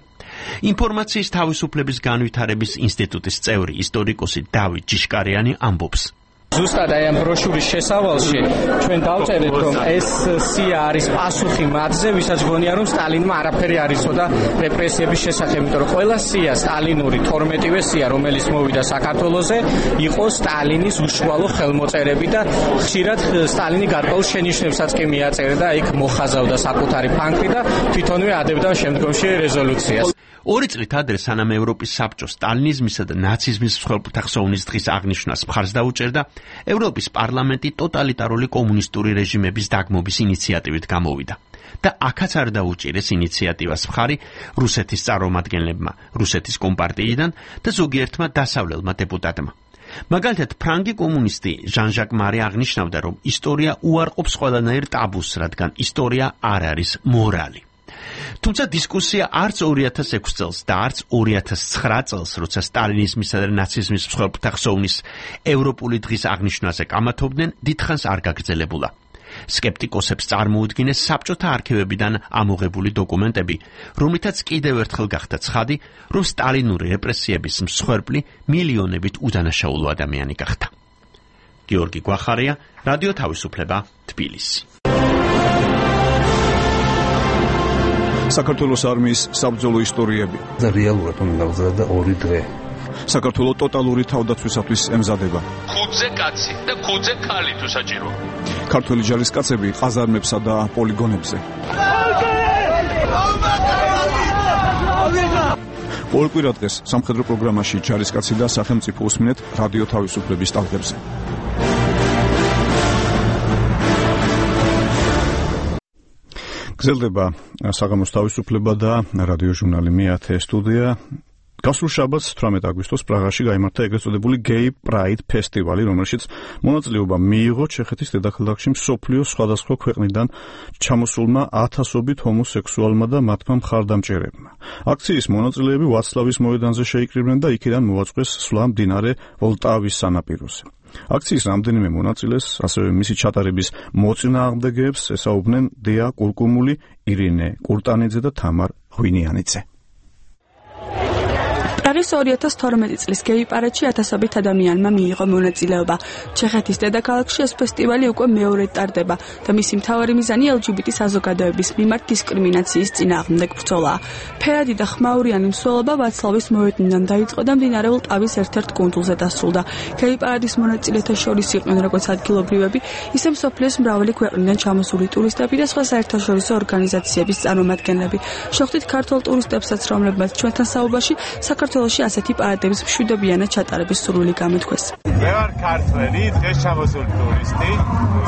ინფორმაციის თავისუფლების განვითარების ინსტიტუტის წევრი ისტორიკოსი დავით ჯიშკარიანი ამბობს. ზუსტად აი ამ ბროშურის შესავალში ჩვენ დავწერეთ, რომ ეს სია არის პასუხი მათზე, ვისაც გონია, რომ სტალინმა არაფერი არ იცოდა რეპრესიების შესახებ, იმიტომ რომ ყველა სია სტალინური 12-ვე სია, რომელიც მოვიდა საქართველოზე, იყო სტალინის უშუალო ხელმოწერები და ხშირად სტალინი გარკვეულ შენიშვნებსაც კი მიაწერდა, იქ მოხაზავდა საკუთარი ფანქრი და თვითონვე ადებდა შემდგომში რეზოლუციას. 2 წლით ადრე, სანამ ევროპის საბჭო სტალინიზმისა და ნაციზმის მსხვერპლთა ხსოვნის დღის აღნიშვნას მხარს დაუჭერდა, ევროპის პარლამენტი ტოტალიტარული კომუნისტური რეჟიმების დაგმობის ინიციატივით გამოვიდა და აქაც არ დაუჭირეს ინიციატივას მხარი რუსეთის წარმომადგენლებმა, რუსეთის კომპარტიიდან და ზოგიერთმა დასავლელმა დეპუტატმა. მაგალითად, ფრანგი კომუნისტი ჟან-ჟაკ მარი აღნიშნავდა, რომ ისტორია უარყოფს ყველანაირ ტაბუს, რადგან ისტორია არ არის მორალი. თუმცა დისკუსია არც 2006 წელს და არც 2009 წელს, როცა სტალინიზმისა და ნაციზმის მსხვერპლთა ხსოვნის ევროპული დღის აღნიშვნაზე კამათობდნენ, დიდხანს არ გაგრძელებულა. სკეპტიკოსებს წარმოუდგინეს საბჭოთა არქივებიდან ამოღებული დოკუმენტები, რომლითაც კიდევ ერთხელ გახდა ცხადი, რომ სტალინური რეპრესიების მსხვერპლი მილიონებით უდანაშაულო ადამიანი გახდა. გიორგი გვახარია, რადიო თავისუფლება, თბილისი. საქართველოს არმიის საბრძოლო ისტორიები და რეალურად უნდა გავზრდა 2 დღე. საქართველოს ტოტალური თავდაცვისათვის ემზადება. 5-ზე კაცი და 5-ზე ქალი თუ საჭიროა. ქართველი ჯარისკაცები ყაზარმებსა და პოლიგონებზე. ყოველ კვირა დღეს სამხედრო პროგრამაში ჯარისკაცი და სახელმწიფო უსმინეთ რადიო თავისუფლების ტალღებზე. გრძელდება საღამოს თავისუფლება და რადიო ჟურნალი მე-10 სტუდია. გასულ შაბათს 18 აგვისტოს პრაღაში გაიმართა ეგრეთ წოდებული Gay Pride ფესტივალი, რომელშიც მონაწილეობა მიიღო ჩეხეთის დედაქალაქში მსოფლიოს სხვადასხვა ქვეყნიდან ჩამოსულმა ათასობით ჰომოსექსუალმა და მათმა მხარდამჭერებმა. აქციის მონაწილეები ვაცლავის მოედანზე შეიკრიბნენ და იქიდან მოაწყვეს სვლა მდინარე ვოლტავის სანაპიროზე. აქციის რამდენიმე მონაწილეს, ასევე მისი ჩატარების მოწინააღმდეგეებს ესაუბნენ დეა კურკუმული, ირინე კურტანიძე და თამარ ღვინიანიძე. პრაღის 2012 წლის გეი პარადში ათასობით ადამიანმა მიიღო მონაწილეობა. ჩეხეთის დედაქალაქში ეს ფესტივალი უკვე მეორედ ტარდება და მისი მთავარი მიზანი LGBT საზოგადოების მიმართ დისკრიმინაციის წინააღმდეგ ბრძოლაა. ფერადი და ხმაურიანი მსვლელობა ვაცლავის მოედნიდან დაიწყო და მდინარე ვოლტავის ერთ-ერთ კუნძულზე დასრულდა. გეი პარადის მონაწილეთა შორის იყვნენ როგორც ადგილობრივები, ისე მსოფლიოს მრავალი ქვეყნიდან ჩამოსული ტურისტები და სხვა საერთაშორისო ორგანიზაციების წარმომადგენლები. შევხვდით ქართულ ტურისტებსაც, რომლებმაც ჩვენთან საუბარში საქართველოში ასეთი პარადების მშვიდობიანად ჩატარების სურვილი გამოთქვეს. მე ვარ ქართველი, დღეს ჩამოსული ტურისტი.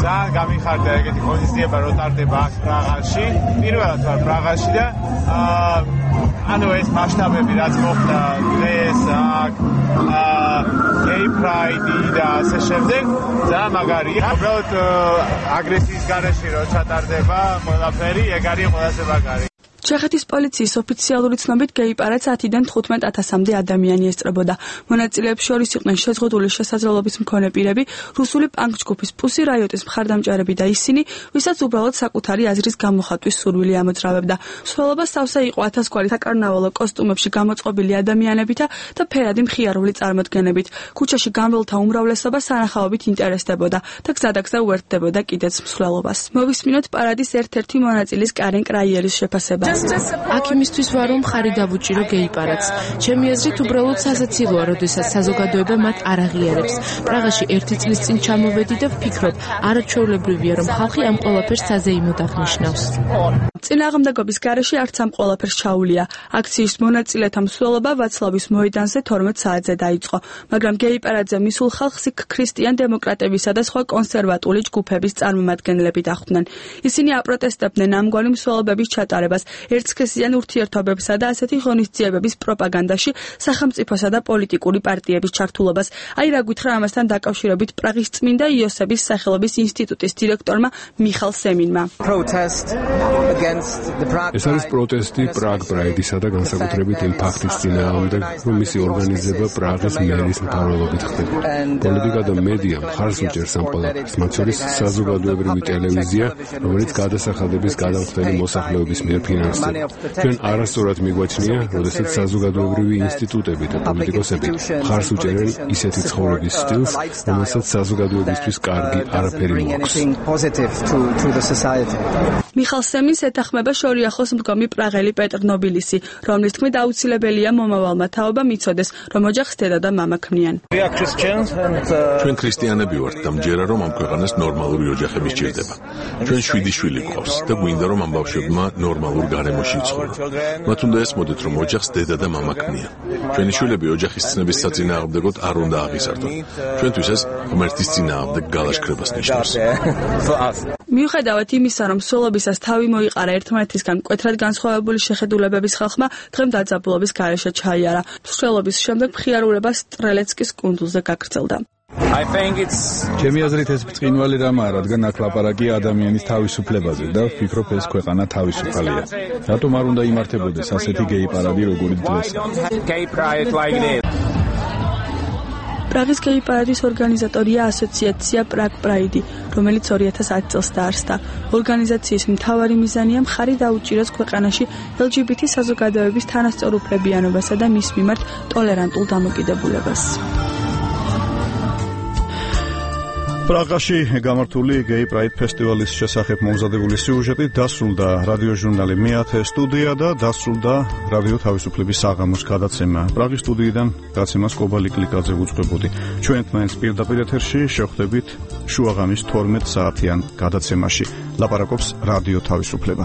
ძალიან გამიხარდა ეგეთი ღონისძიება, რო ტარდება აქ პრაღაში. პირველად ვარ პრაღაში და ანუ ეს მასშტაბები რაც მოხდა დღეს აქ Gay Pride და ასე შემდეგ, ძალიან მაგარია. უბრალოდ აგრესიის გარეშე რო ჩატარდება ყველაფერი, ეგ არის ყველაზე მაგარი. ჩეხეთის პოლიციის ოფიციალური ცნობით გეი პარადს 10-დან 15,000-მდე ადამიანი ესწრებოდა. მონაწილეებს შორის იყვნენ შეზღუდული შესაძლებლობის მქონე პირები, რუსული პანკ ჯგუფის Pussy Riot-ის მხარდამჭერები და ისინი, ვისაც უბრალოდ საკუთარი აზრის გამოხატვის სურვილი ამოძრავებდა. მსვლელობა სავსე იყო 1000 გვარი საკარნავალო კოსტუმებში გამოწყობილი ადამიანებითა და ფერადი მხიარული წარმოდგენებით. ქუჩაში გამრავლთა უმრავლესობა სანახაობით ინტერესდებოდა და გზადაგზა უერთდებოდა კიდეც მსვლელობას. მოვისმინოთ პარადის ერთ-ერთი მონაწილის კარენ კრაიერის შეფასება. აქ იმისთვის ვარ, რომ ხარი დავუჭირო გეი პარადს. ჩემი აზრით უბრალოდ სასაცილოა, როდესაც საზოგადოება მათ არ აღიარებს. პრაღაში 1 წლის წინ ჩამოვედი და ვფიქრობ, არაჩვეულებრივია, რომ ხალხი ამ ყველაფერს საზეიმოდ აღნიშნავს. წინააღმდეგობის გარეშე არც ამ ყველაფერს ჩაუვლია. აქციის მონაწილეთა მსვლელობა ვაცლავის მოედანზე 12 საათზე დაიწყო, მაგრამ გეი პარადზე მისულ ხალხს იქ ქრისტიან დემოკრატებისა და სხვა კონსერვატული ჯგუფების წარმომადგენლები დახვდნენ. ისინი აპროტესტებდნენ ამგვარი მსვლელობების ჩატარებას. ერთსქესიან ურთიერთობებსა და ასეთი ღონისძიებების პროპაგანდაში სახელმწიფოსა და პოლიტიკური პარტიების ჩართულობას. აი რა გითხრა ამასთან დაკავშირებით პრაღის წმინდა იოსების სახელობის ინსტიტუტის დირექტორმა მიხალ სემინმა. ეს არის პროტესტი პრაღ პრაიდისა და განსაკუთრებით იმ ფაქტის წინააღმდეგ, რომ მისი ორგანიზება პრაღის მერის მფარველობით ხდება. პოლიტიკა და მედია მხარს უჭერს ამ ყველაფერს, მათ შორის საზოგადოებრივი ტელევიზია, რომელიც გადასახადების გადამხდელი მოსახლეობის მიერ ფინანსდება. ჩვენ არასწორად მიგვაჩნია, როდესაც საზოგადოებრივი ინსტიტუტები და პოლიტიკოსები მხარს უჭერენ ისეთი ცხოვრების სტილს, რომელსაც საზოგადოებისთვის კარგი არაფერი მოაქვს. მიხალ სემინს ეთანხმება შორიახოს მდგომი პრაღელი პეტრ ნობილისი, რომლის თქმით აუცილებელია მომავალმა თაობამ იცოდეს, რომ ოჯახს დედა და მამა ქმნიან. ჩვენ ქრისტიანები ვართ და მჯერა რომ ამ ქვეყანას ნორმალური ოჯახები სჭირდება. ჩვენ 7 შვილი გვყავს და გვინდა რომ ამ ბავშვებმა ნორმალურ გარემოში იცხოვრონ. მათ უნდა ესმოდეთ რომ ოჯახს დედა და მამა ქმნიან. ჩვენი შვილები ოჯახის ცნების საწინააღმდეგოდ არ უნდა აღიზარდონ. ჩვენთვის ეს ღმერთის წინააღმდეგ გალაშქრებას ნიშნავს. მიუხედავად იმისა, რომ სულობისას თავი მოიყარა ერთმანეთისგან მკვეთრად განსხვავებული შეხედულებების ხალხმა, დღემ დაძაბულობის გარეშე ჩაიარა. მსვლელობის შემდეგ მხიარულება სტრელეცკის კუნძულზე გაგრძელდა. ჩემი აზრით ეს ბრწყინვალე რამაა, რადგან აქ ლაპარაკია ადამიანის თავისუფლებაზე და ვფიქრობ ეს ქვეყანა თავისუფალია. რატომ არ უნდა იმართებოდეს ასეთი გეი პარადი როგორც დღეს? პრაღის გეი პარადის ორგანიზატორია ასოციაცია პრაღ პრაიდი, რომელიც 2010 წელს დაარსდა. ორგანიზაციის მთავარი მიზანია მხარი დაუჭიროს ქვეყანაში LGBT საზოგადოების თანასწორ უფლებიანობასა და მის მიმართ ტოლერანტულ დამოკიდებულებას. პრაღაში გამართული გეი პრაიდ ფესტივალის შესახებ მომზადებული სიუჟეტი დასრულდა რადიოჟურნალი მეათე სტუდია და დასრულდა რადიო თავისუფლების საღამოს გადაცემა. პრაღის სტუდიიდან გადაცემას კობალი კლიკაძე უძღვებოდი. ჩვენ მაინც პირდაპირ ეთერში შევხვდებით შუაღამის 12 საათიან გადაცემაში. ლაპარაკობს რადიო თავისუფლება.